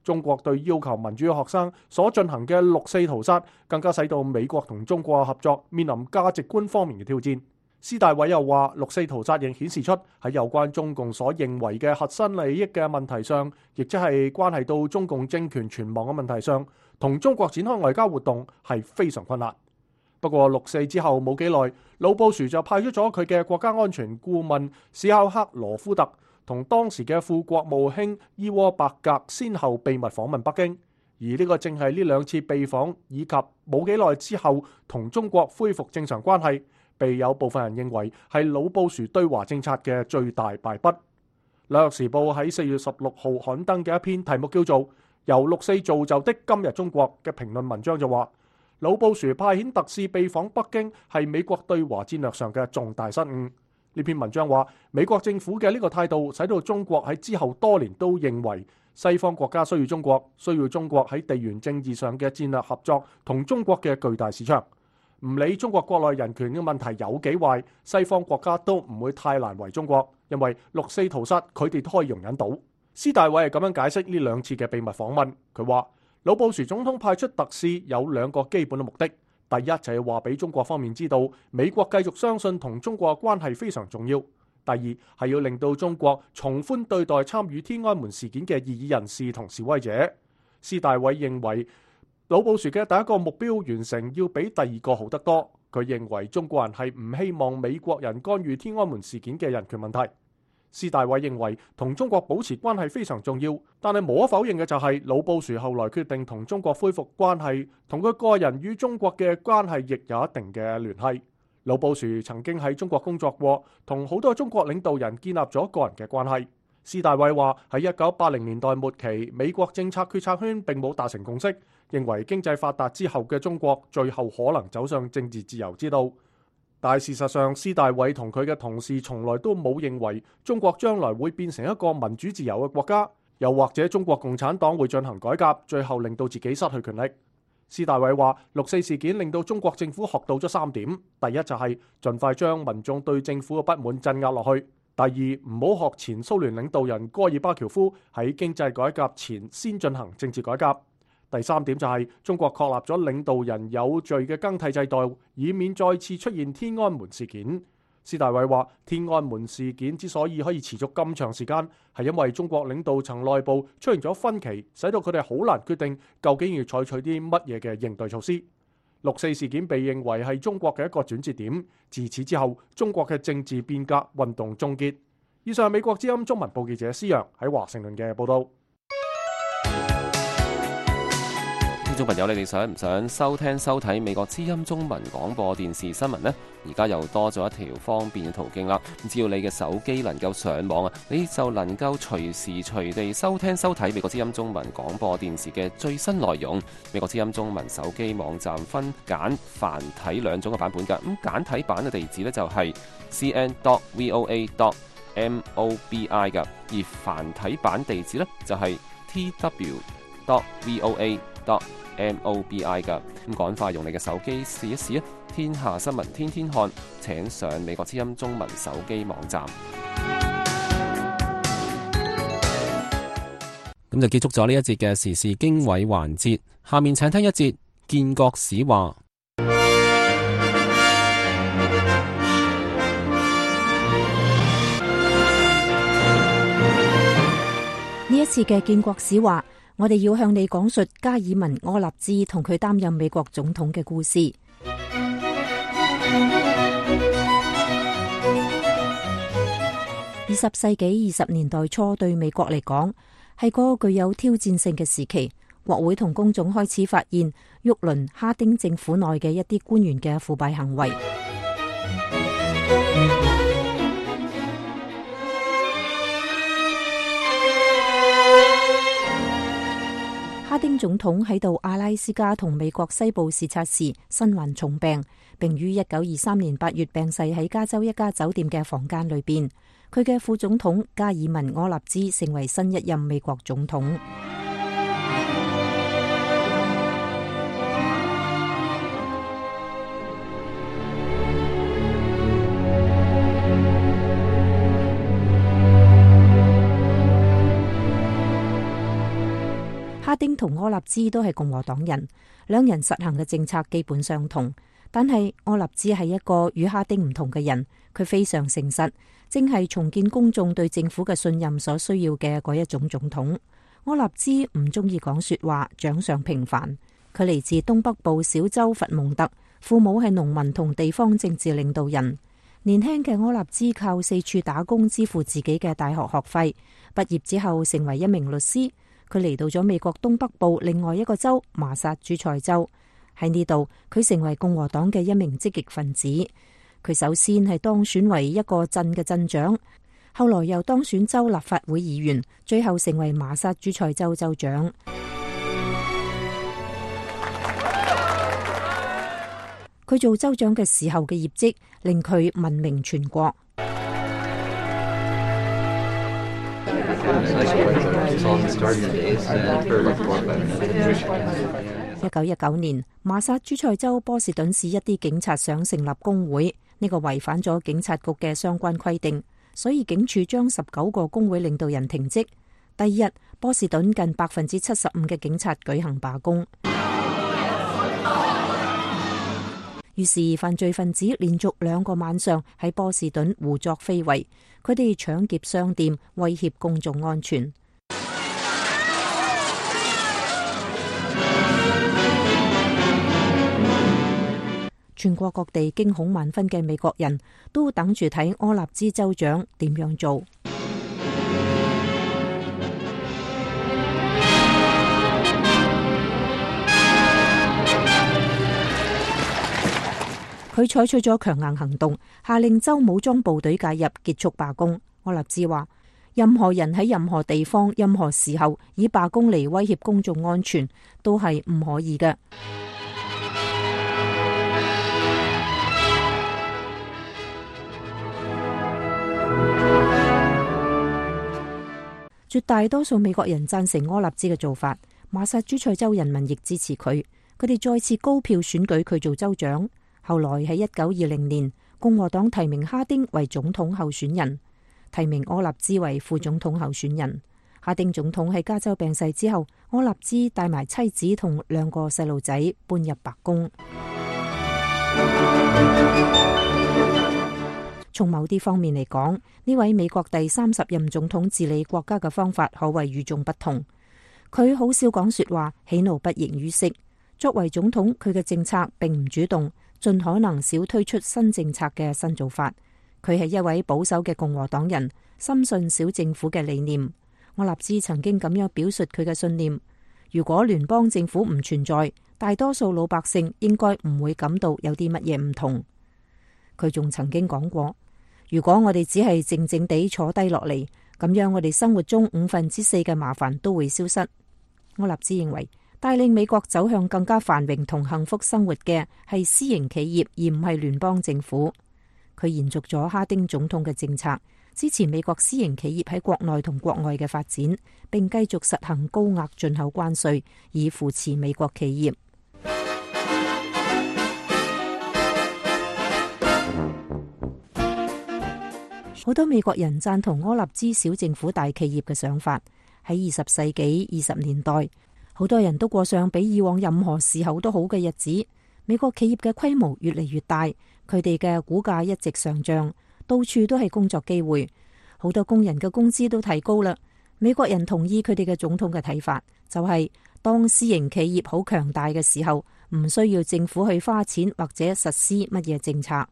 中國對要求民主嘅學生所進行嘅六四屠殺，更加使到美國同中國嘅合作面臨價值觀方面嘅挑戰。施大偉又話，六四屠殺亦顯示出喺有關中共所認為嘅核心利益嘅問題上，亦即係關係到中共政權存亡嘅問題上，同中國展開外交活動係非常困難。不過六四之後冇幾耐，老布殊就派出咗佢嘅國家安全顧問史考克羅夫特同當時嘅副國務卿伊沃伯格先後秘密訪問北京，而呢個正係呢兩次秘訪以及冇幾耐之後同中國恢復正常關係，被有部分人認為係老布殊對華政策嘅最大敗筆。紐約時報喺四月十六號刊登嘅一篇題目叫做《由六四造就的今日中國》嘅評論文章就話，老布殊派遣特使秘訪北京係美國對華戰略上嘅重大失誤。呢篇文章話，美國政府嘅呢個態度使到中國喺之後多年都認為西方國家需要中國，需要中國喺地緣政治上嘅戰略合作同中國嘅巨大市場。唔理中國國內人權嘅問題有幾壞，西方國家都唔會太難為中國，因為六四屠殺佢哋都可以容忍到。施大偉係咁樣解釋呢兩次嘅秘密訪問，佢話老布殊總統派出特使有兩個基本嘅目的，第一就係話俾中國方面知道美國繼續相信同中國嘅關係非常重要，第二係要令到中國從寬對待參與天安門事件嘅異議人士同示威者。施大偉認為老布殊嘅第一個目標完成要比第二個好得多。佢認為中國人係唔希望美國人干預天安門事件嘅人權問題。施大偉認為同中國保持關係非常重要，但係無可否認嘅就係老布殊後來決定同中國恢復關係，同佢個人與中國嘅關係亦有一定嘅聯繫。老布殊曾經喺中國工作過，同好多中國領導人建立咗個人嘅關係。施大偉話喺一九八零年代末期，美國政策決策圈並冇達成共識，認為經濟發達之後嘅中國最後可能走上政治自由之道。但事實上，施大偉同佢嘅同事從來都冇認為中國將來會變成一個民主自由嘅國家，又或者中國共產黨會進行改革，最後令到自己失去權力。施大偉話：六四事件令到中國政府學到咗三點，第一就係盡快將民眾對政府嘅不滿鎮壓落去；第二，唔好學前蘇聯領導人戈爾巴喬夫喺經濟改革前先進行政治改革。第三點就係中國確立咗領導人有序嘅更替制度，以免再次出現天安門事件。施大偉話：天安門事件之所以可以持續咁長時間，係因為中國領導層內部出現咗分歧，使到佢哋好難決定究竟要採取啲乜嘢嘅應對措施。六四事件被認為係中國嘅一個轉折點，自此之後，中國嘅政治變革運動終結。以上係美國之音中文報記者施洋喺華盛頓嘅報導。聽眾朋友，你哋想唔想收聽收睇美國之音中文廣播電視新聞呢？而家又多咗一條方便嘅途徑啦！只要你嘅手機能夠上網啊，你就能夠隨時隨地收聽收睇美國之音中文廣播電視嘅最新內容。美國之音中文手機網站分簡繁體兩種嘅版本㗎。咁簡體版嘅地址呢，就係 c n dot voa dot mobi 㗎，而繁體版地址呢，就係 t w dot voa dot mobi 㗎。咁趕快用你嘅手機試一試啊！天下新聞天天看，請上美國之音中文手機網站。咁就結束咗呢一節嘅時事經緯環節，下面請聽一節建國史話。呢一次嘅建國史話，我哋要向你講述加爾文柯納茲同佢擔任美國總統嘅故事。二十世紀二十年代初對美國嚟講係個具有挑戰性嘅時期，國會同公眾開始發現沃倫哈丁政府內嘅一啲官員嘅腐敗行為。哈丁總統喺到阿拉斯加同美國西部視察時身患重病，並於一九二三年八月病逝喺加州一家酒店嘅房間裏邊。佢嘅副總統加爾文柯納茲成為新一任美國總統。哈丁同柯納茲都係共和黨人，兩人實行嘅政策基本相同，但係柯納茲係一個與哈丁唔同嘅人，佢非常誠實，正係重建公眾對政府嘅信任所需要嘅嗰一種總統。柯納茲唔中意講說話，長相平凡。佢嚟自東北部小州佛蒙特，父母係農民同地方政治領導人。年輕嘅柯納茲靠四處打工支付自己嘅大學學費，畢業之後成為一名律師。佢嚟到咗美國東北部另外一個州麻薩諸塞州，喺呢度佢成為共和黨嘅一名積極分子。佢首先係當選為一個鎮嘅鎮長，後來又當選州立法會議員，最後成為麻薩諸塞州州長。佢做州長嘅時候嘅業績令佢聞名全國。一九一九年，麻薩諸塞州波士頓市一啲警察想成立工會，呢個違反咗警察局嘅相關規定，所以警署將十九個工會領導人停職。第二日，波士頓近百分之七十五嘅警察舉行罷工。於是犯罪分子連續兩個晚上喺波士頓胡作非為，佢哋搶劫商店，威脅公眾安全。全國各地驚恐萬分嘅美國人都等住睇柯納茲州長點樣做。佢採取咗強硬行動，下令州武裝部隊介入結束罷工。柯納茲話：任何人喺任何地方、任何時候以罷工嚟威脅公眾安全，都係唔可以嘅。絕大多數美國人贊成柯納茲嘅做法，馬薩諸塞州人民亦支持佢，佢哋再次高票選舉佢做州長。後來喺一九二零年，共和黨提名哈丁為總統候選人，提名柯納茲為副總統候選人。哈丁總統喺加州病逝之後，柯納茲帶埋妻子同兩個細路仔搬入白宮。從某啲方面嚟講，呢位美國第三十任總統治理國家嘅方法可謂與眾不同。佢好少講說話，喜怒不形於色。作為總統，佢嘅政策並唔主動，盡可能少推出新政策嘅新做法。佢係一位保守嘅共和黨人，深信小政府嘅理念。柯納茲曾經咁樣表述佢嘅信念：如果聯邦政府唔存在，大多數老百姓應該唔會感到有啲乜嘢唔同。佢仲曾經講過：如果我哋只係靜靜地坐低落嚟，咁樣我哋生活中五分之四嘅麻煩都會消失。柯納茲認為，帶領美國走向更加繁榮同幸福生活嘅係私營企業，而唔係聯邦政府。佢延續咗哈丁總統嘅政策，支持美國私營企業喺國內同國外嘅發展，並繼續實行高額進口關稅，以扶持美國企業。好多美國人贊同柯納茲小政府大企業嘅想法。喺二十世紀二十年代，好多人都過上比以往任何時候都好嘅日子。美國企業嘅規模越嚟越大，佢哋嘅股價一直上漲，到處都係工作機會，好多工人嘅工資都提高啦。美國人同意佢哋嘅總統嘅睇法，就係當私營企業好強大嘅時候，唔需要政府去花錢或者實施乜嘢政策。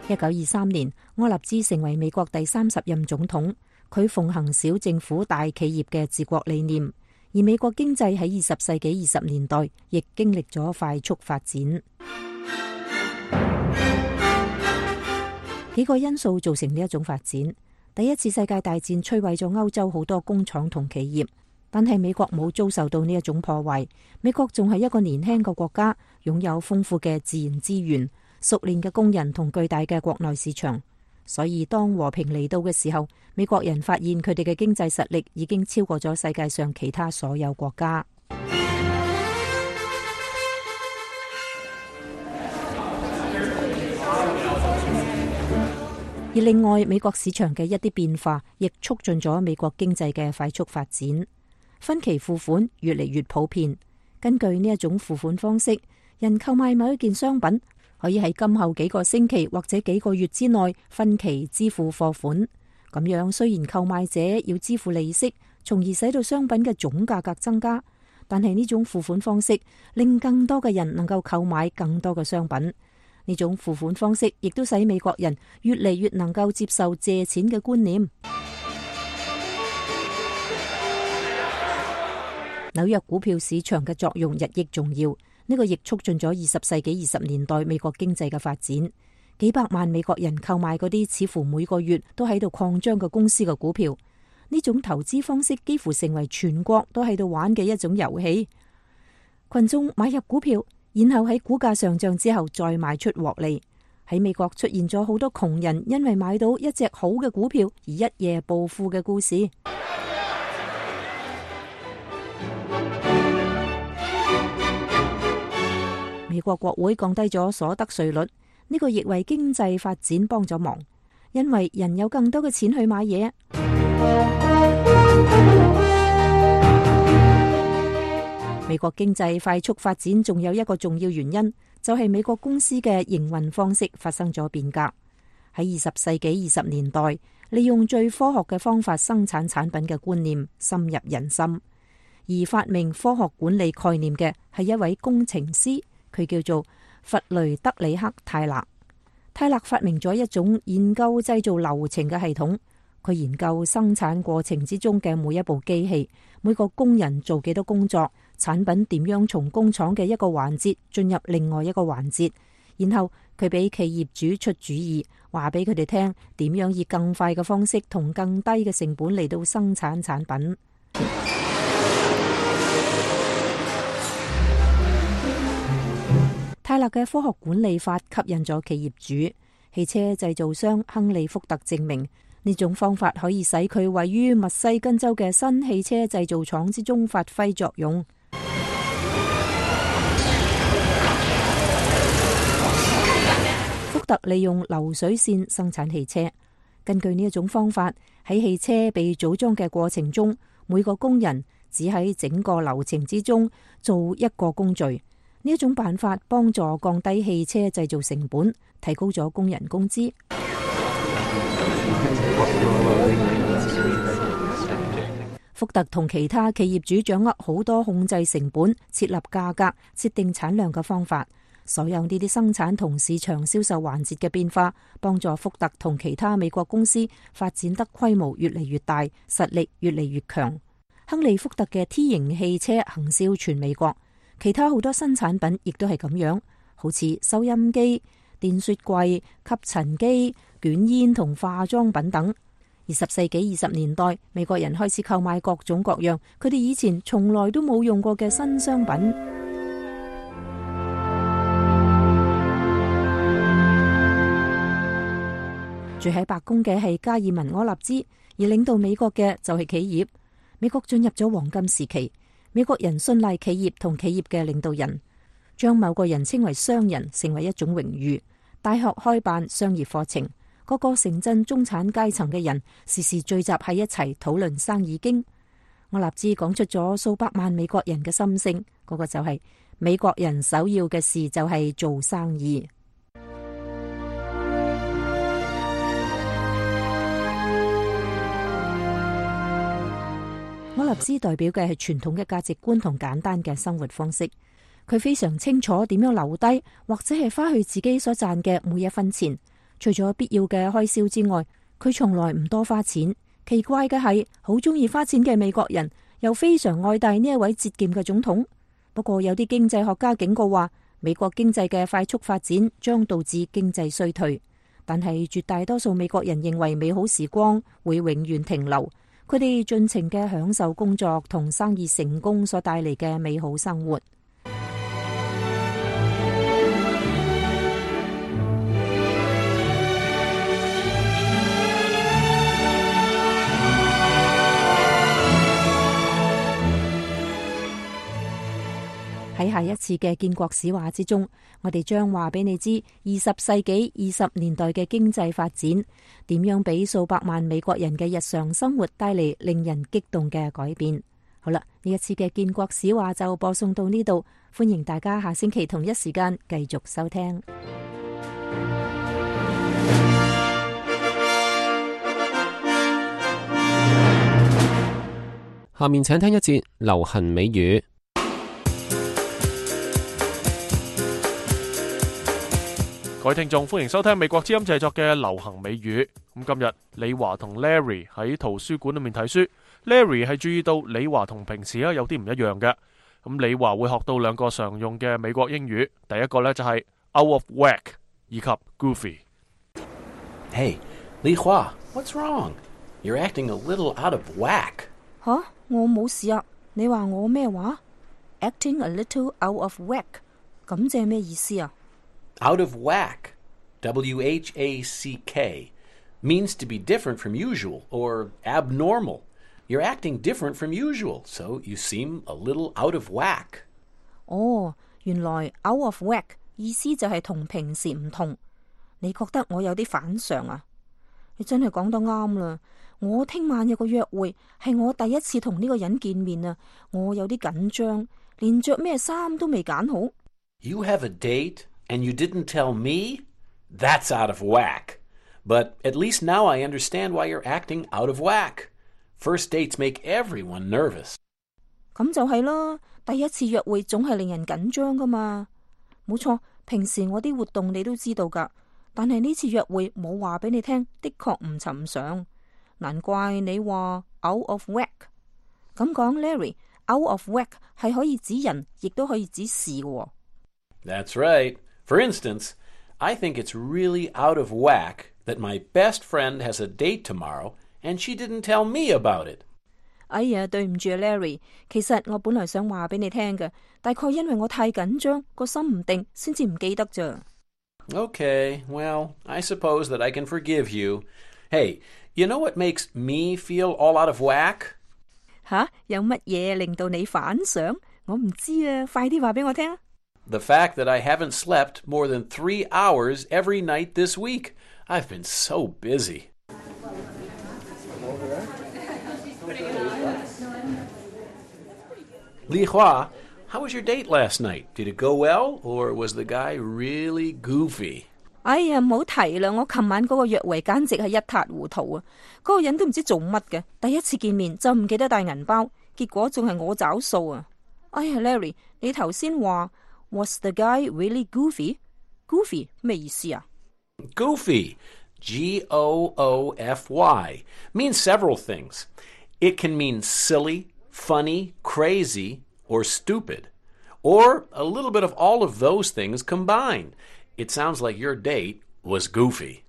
一九二三年，柯納茲成為美國第三十任總統。佢奉行小政府大企業嘅治國理念，而美國經濟喺二十世紀二十年代亦經歷咗快速發展。幾個因素造成呢一種發展。第一次世界大戰摧毀咗歐洲好多工廠同企業，但係美國冇遭受到呢一種破壞。美國仲係一個年輕嘅國家，擁有豐富嘅自然資源、熟練嘅工人同巨大嘅國內市場，所以當和平嚟到嘅時候，美國人發現佢哋嘅經濟實力已經超過咗世界上其他所有國家。而另外，美國市場嘅一啲變化亦促進咗美國經濟嘅快速發展。分期付款越嚟越普遍，根據呢一種付款方式，人購買某一件商品，可以喺今後幾個星期或者幾個月之內分期支付貨款。咁樣雖然購買者要支付利息，從而使到商品嘅總價格增加，但係呢種付款方式令更多嘅人能夠購買更多嘅商品。呢種付款方式亦都使美國人越嚟越能夠接受借錢嘅觀念。紐約股票市場嘅作用日益重要。呢個亦促進咗二十世紀二十年代美國經濟嘅發展。幾百萬美國人購買嗰啲似乎每個月都喺度擴張嘅公司嘅股票。呢種投資方式幾乎成為全國都喺度玩嘅一種遊戲。群眾買入股票，然後喺股價上漲之後再賣出獲利。喺美國出現咗好多窮人因為買到一隻好嘅股票而一夜暴富嘅故事。美國國會降低咗所得稅率，呢個亦為經濟發展幫咗忙，因為人有更多嘅錢去買嘢。美國經濟快速發展仲有一個重要原因，就係美國公司嘅營運方式發生咗變革。喺二十世紀二十年代，利用最科學嘅方法生產產品嘅觀念深入人心。而發明科學管理概念嘅係一位工程師，佢叫做弗雷德里克·泰勒。泰勒發明咗一種研究製造流程嘅系統，佢研究生產過程之中嘅每一部機器，每個工人做幾多工作，產品點樣從工廠嘅一個環節進入另外一個環節，然後佢俾企業主出主意，話俾佢哋聽點樣以更快嘅方式同更低嘅成本嚟到生產產品。泰勒嘅科學管理法吸引咗企業主。汽車製造商亨利福特證明呢種方法可以使佢位於密西根州嘅新汽車製造廠之中發揮作用。福特利用流水線生產汽車，根據呢一種方法，喺汽車被組裝嘅過程中，每個工人只喺整個流程之中做一個工序。呢一種辦法幫助降低汽車製造成本，提高咗工人工資。福特同其他企業主掌握好多控制成本、設立價格、設定產量嘅方法。所有呢啲生產同市場銷售環節嘅變化，幫助福特同其他美國公司發展得規模越嚟越大，實力越嚟越強。亨利福特嘅 T 型汽車行銷全美國。其他好多新產品亦都係咁樣，好似收音機、電雪櫃、吸塵機、捲煙同化妝品等。二十世紀二十年代，美國人開始購買各種各樣佢哋以前從來都冇用過嘅新商品。住喺白宮嘅係加爾文柯納茲，而領導美國嘅就係企業。美國進入咗黃金時期。美國人信賴企業同企業嘅領導人，將某個人稱為商人成為一種榮譽。大學開辦商業課程，各個城鎮中產階層嘅人時時聚集喺一齊討論生意經。我立志講出咗數百萬美國人嘅心聲，嗰、那個就係美國人首要嘅事就係做生意。柯納茲代表嘅係傳統嘅價值觀同簡單嘅生活方式。佢非常清楚點樣留低或者係花去自己所賺嘅每一分錢。除咗必要嘅開銷之外，佢從來唔多花錢。奇怪嘅係，好中意花錢嘅美國人又非常愛戴呢一位節儉嘅總統。不過有啲經濟學家警告話，美國經濟嘅快速發展將導致經濟衰退。但係絕大多數美國人認為美好時光會永遠停留。佢哋盡情嘅享受工作同生意成功所帶嚟嘅美好生活。喺下一次嘅建國史話之中，我哋將話俾你知二十世紀二十年代嘅經濟發展點樣俾數百萬美國人嘅日常生活帶嚟令人激動嘅改變。好啦，呢一次嘅建國史話就播送到呢度，歡迎大家下星期同一時間繼續收聽。下面請聽一節流行美語。各位聽眾，歡迎收聽美國之音製作嘅流行美語。咁今日李華同 Larry 喺圖書館裏面睇書。Larry 係注意到李華同平時有啲唔一樣嘅。咁李華會學到兩個常用嘅美國英語，第一個呢就係 out of whack 以及 goofy。Hey， 李華 ，What's wrong? You're acting a little out of whack。吓，我冇事啊。你話我咩話 ？Acting a little out of whack， 咁即係咩意思啊？Out of whack, W H A C K, means to be different from usual or abnormal. You're acting different from usual, so you seem a little out of whack. 哦，原來 out of whack 意思就係同平時唔同。你覺得我有啲反常啊？你真係講得啱啦。我聽晚有個約會，係我第一次同呢個人見面啊，我有啲緊張，連着咩衫都未揀好。You have a date? And you didn't tell me? That's out of whack. But at least now I understand why you're acting out of whack. First dates make everyone nervous. 咁就係啦，第一次約會總係令人緊張噶嘛。冇錯，平時我啲活動你都知道噶，但係呢次約會冇話俾你聽，的確唔尋常。難怪你話 out of whack。咁講 Larry，out of whack 係可以指人，亦都可以指事嘅。That's right. For instance, I think it's really out of whack that my best friend has a date tomorrow and she didn't tell me about it. 哎呀，對唔住啊 Larry， 其實我本來想話俾你聽嘅，大概因為我太緊張，個心唔定，先至唔記得咋。Okay, well, I suppose that I can forgive you. Hey, you know what makes me feel all out of whack? 吓，有乜嘢令到你反常？我唔知啊，快啲話俾我聽。The fact that I haven't slept more than three hours every night this week. I've been so busy. Li Hua, how was your date last night? Did it go well, or was the guy really goofy? 哎呀，唔好提啦！我琴晚嗰個約會簡直係一塌糊塗啊！嗰、嗰個人都唔知做乜嘅，第一次見面就唔記得帶銀包，結果仲係我找數啊！哎呀 ，Larry， 你頭先話 Was the guy really goofy? Goofy 咩意思啊？ Goofy, G O O F Y, means several things. It can mean silly, funny, crazy, or stupid, or a little bit of all of those things combined. It sounds like your date was goofy.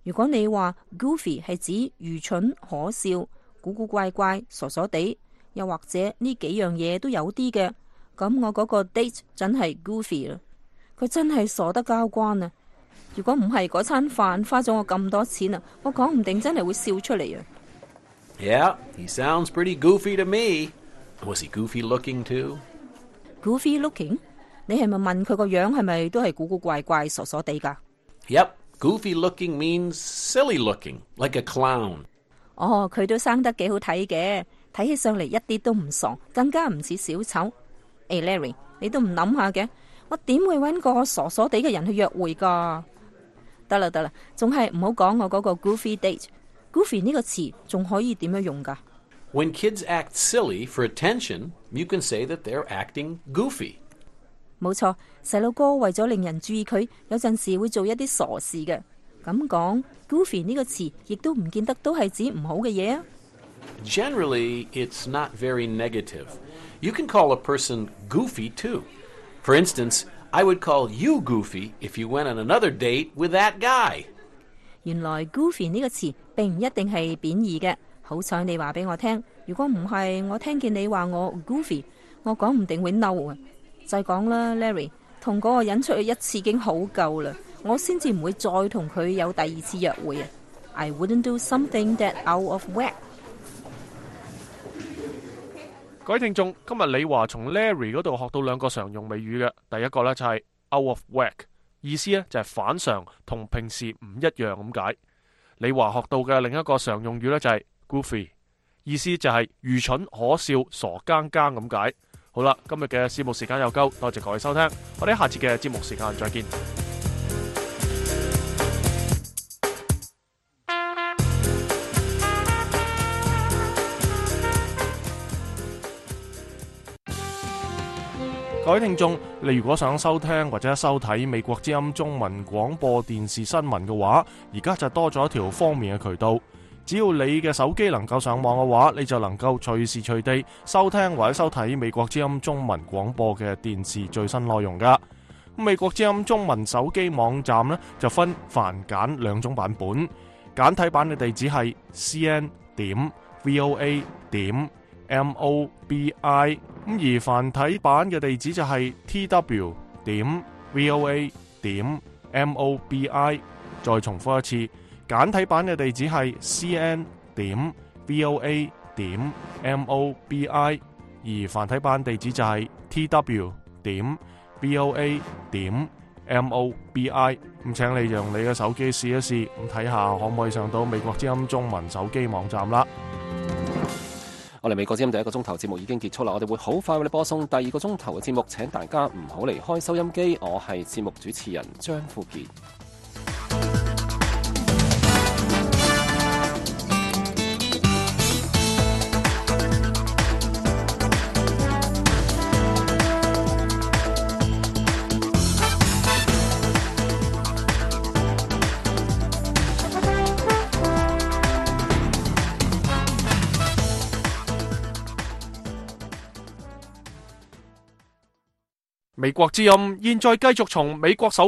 如果你話 goofy 係指愚蠢、可笑、古古怪怪、傻傻地，又或者呢幾樣嘢都有啲嘅，咁我嗰個 date 真係 goofy 啦。佢真係傻得交關啊！如果唔係嗰餐飯花咗我咁多錢啊，我講唔定真係會笑出嚟啊！ Yeah, he sounds pretty goofy to me. Was he goofy looking too? Goofy looking？ 你係咪問佢個樣係咪都係古古怪怪、傻傻地㗎？ Yep, goofy looking means silly looking, like a clown. 哦，佢都生得幾好睇嘅，睇起上嚟一啲都唔傻，更加唔似小丑。誒 Larry， 你都唔諗下嘅，我點會揾個傻傻地嘅人去約會㗎？得啦得啦，仲係唔好講我嗰個 goofy date。Goofy 呢個詞仲可以點樣用㗎？ When kids act silly for attention, you can say that they're acting goofy. 冇錯，細路哥為咗令人注意佢，有陣時會做一啲傻事嘅。咁講 goofy 呢個詞，亦都唔見得都係指唔好嘅嘢啊。Generally, it's not very negative. You can call a person goofy too. For instance, I would call you goofy if you went on another date with that guy. 原來 goofy 呢個詞並唔一定係貶義嘅。好彩你話俾我聽，如果唔係，我聽見你話我 goofy， 我講唔定會嬲啊！就係講啦 ，Larry， 同嗰個人出去一次已經好夠啦，我先至唔會再同佢有第二次約會啊 ！I wouldn't do something that out of whack。各位聽眾，今日李華從 Larry 嗰度學到兩個常用美語嘅，第一個呢就係 out of whack， 意思呢就係反常，同平時唔一樣咁解。李華學到嘅另一個常用語呢就係 goofy， 意思就係愚蠢、可笑、傻更更咁解。好啦，今日嘅節目時間又夠，多謝各位收聽，我哋下次嘅節目時間再見。各位聽眾，你如果想收聽或者收睇美國之音中文廣播電視新聞嘅話，而家就多咗一條方便嘅渠道。只要你嘅手機能夠上網嘅話，你就能夠隨時隨地收聽或者收睇美國之音中文廣播嘅電視最新內容噶。美國之音中文手機網站呢，就分繁簡兩種版本，簡體版嘅地址係 c n 點 v o a 點 m o b i， 咁而繁體版嘅地址就係 t w 點 v o a 點 m o b i。再重複一次，簡體版嘅地址係 c n 點 v o a 點 m o b i， 而繁體版地址就係 t w 點 v o a 點 m o b i。 咁請你用你嘅手機試一試，咁睇下可唔可以上到美國之音中文手機網站啦。我哋美國之音第一個鐘頭節目已經結束啦，我哋會好快為你播送第二個鐘頭嘅節目，請大家唔好離開收音機。我係節目主持人張富傑。美國之音現在繼續從美國首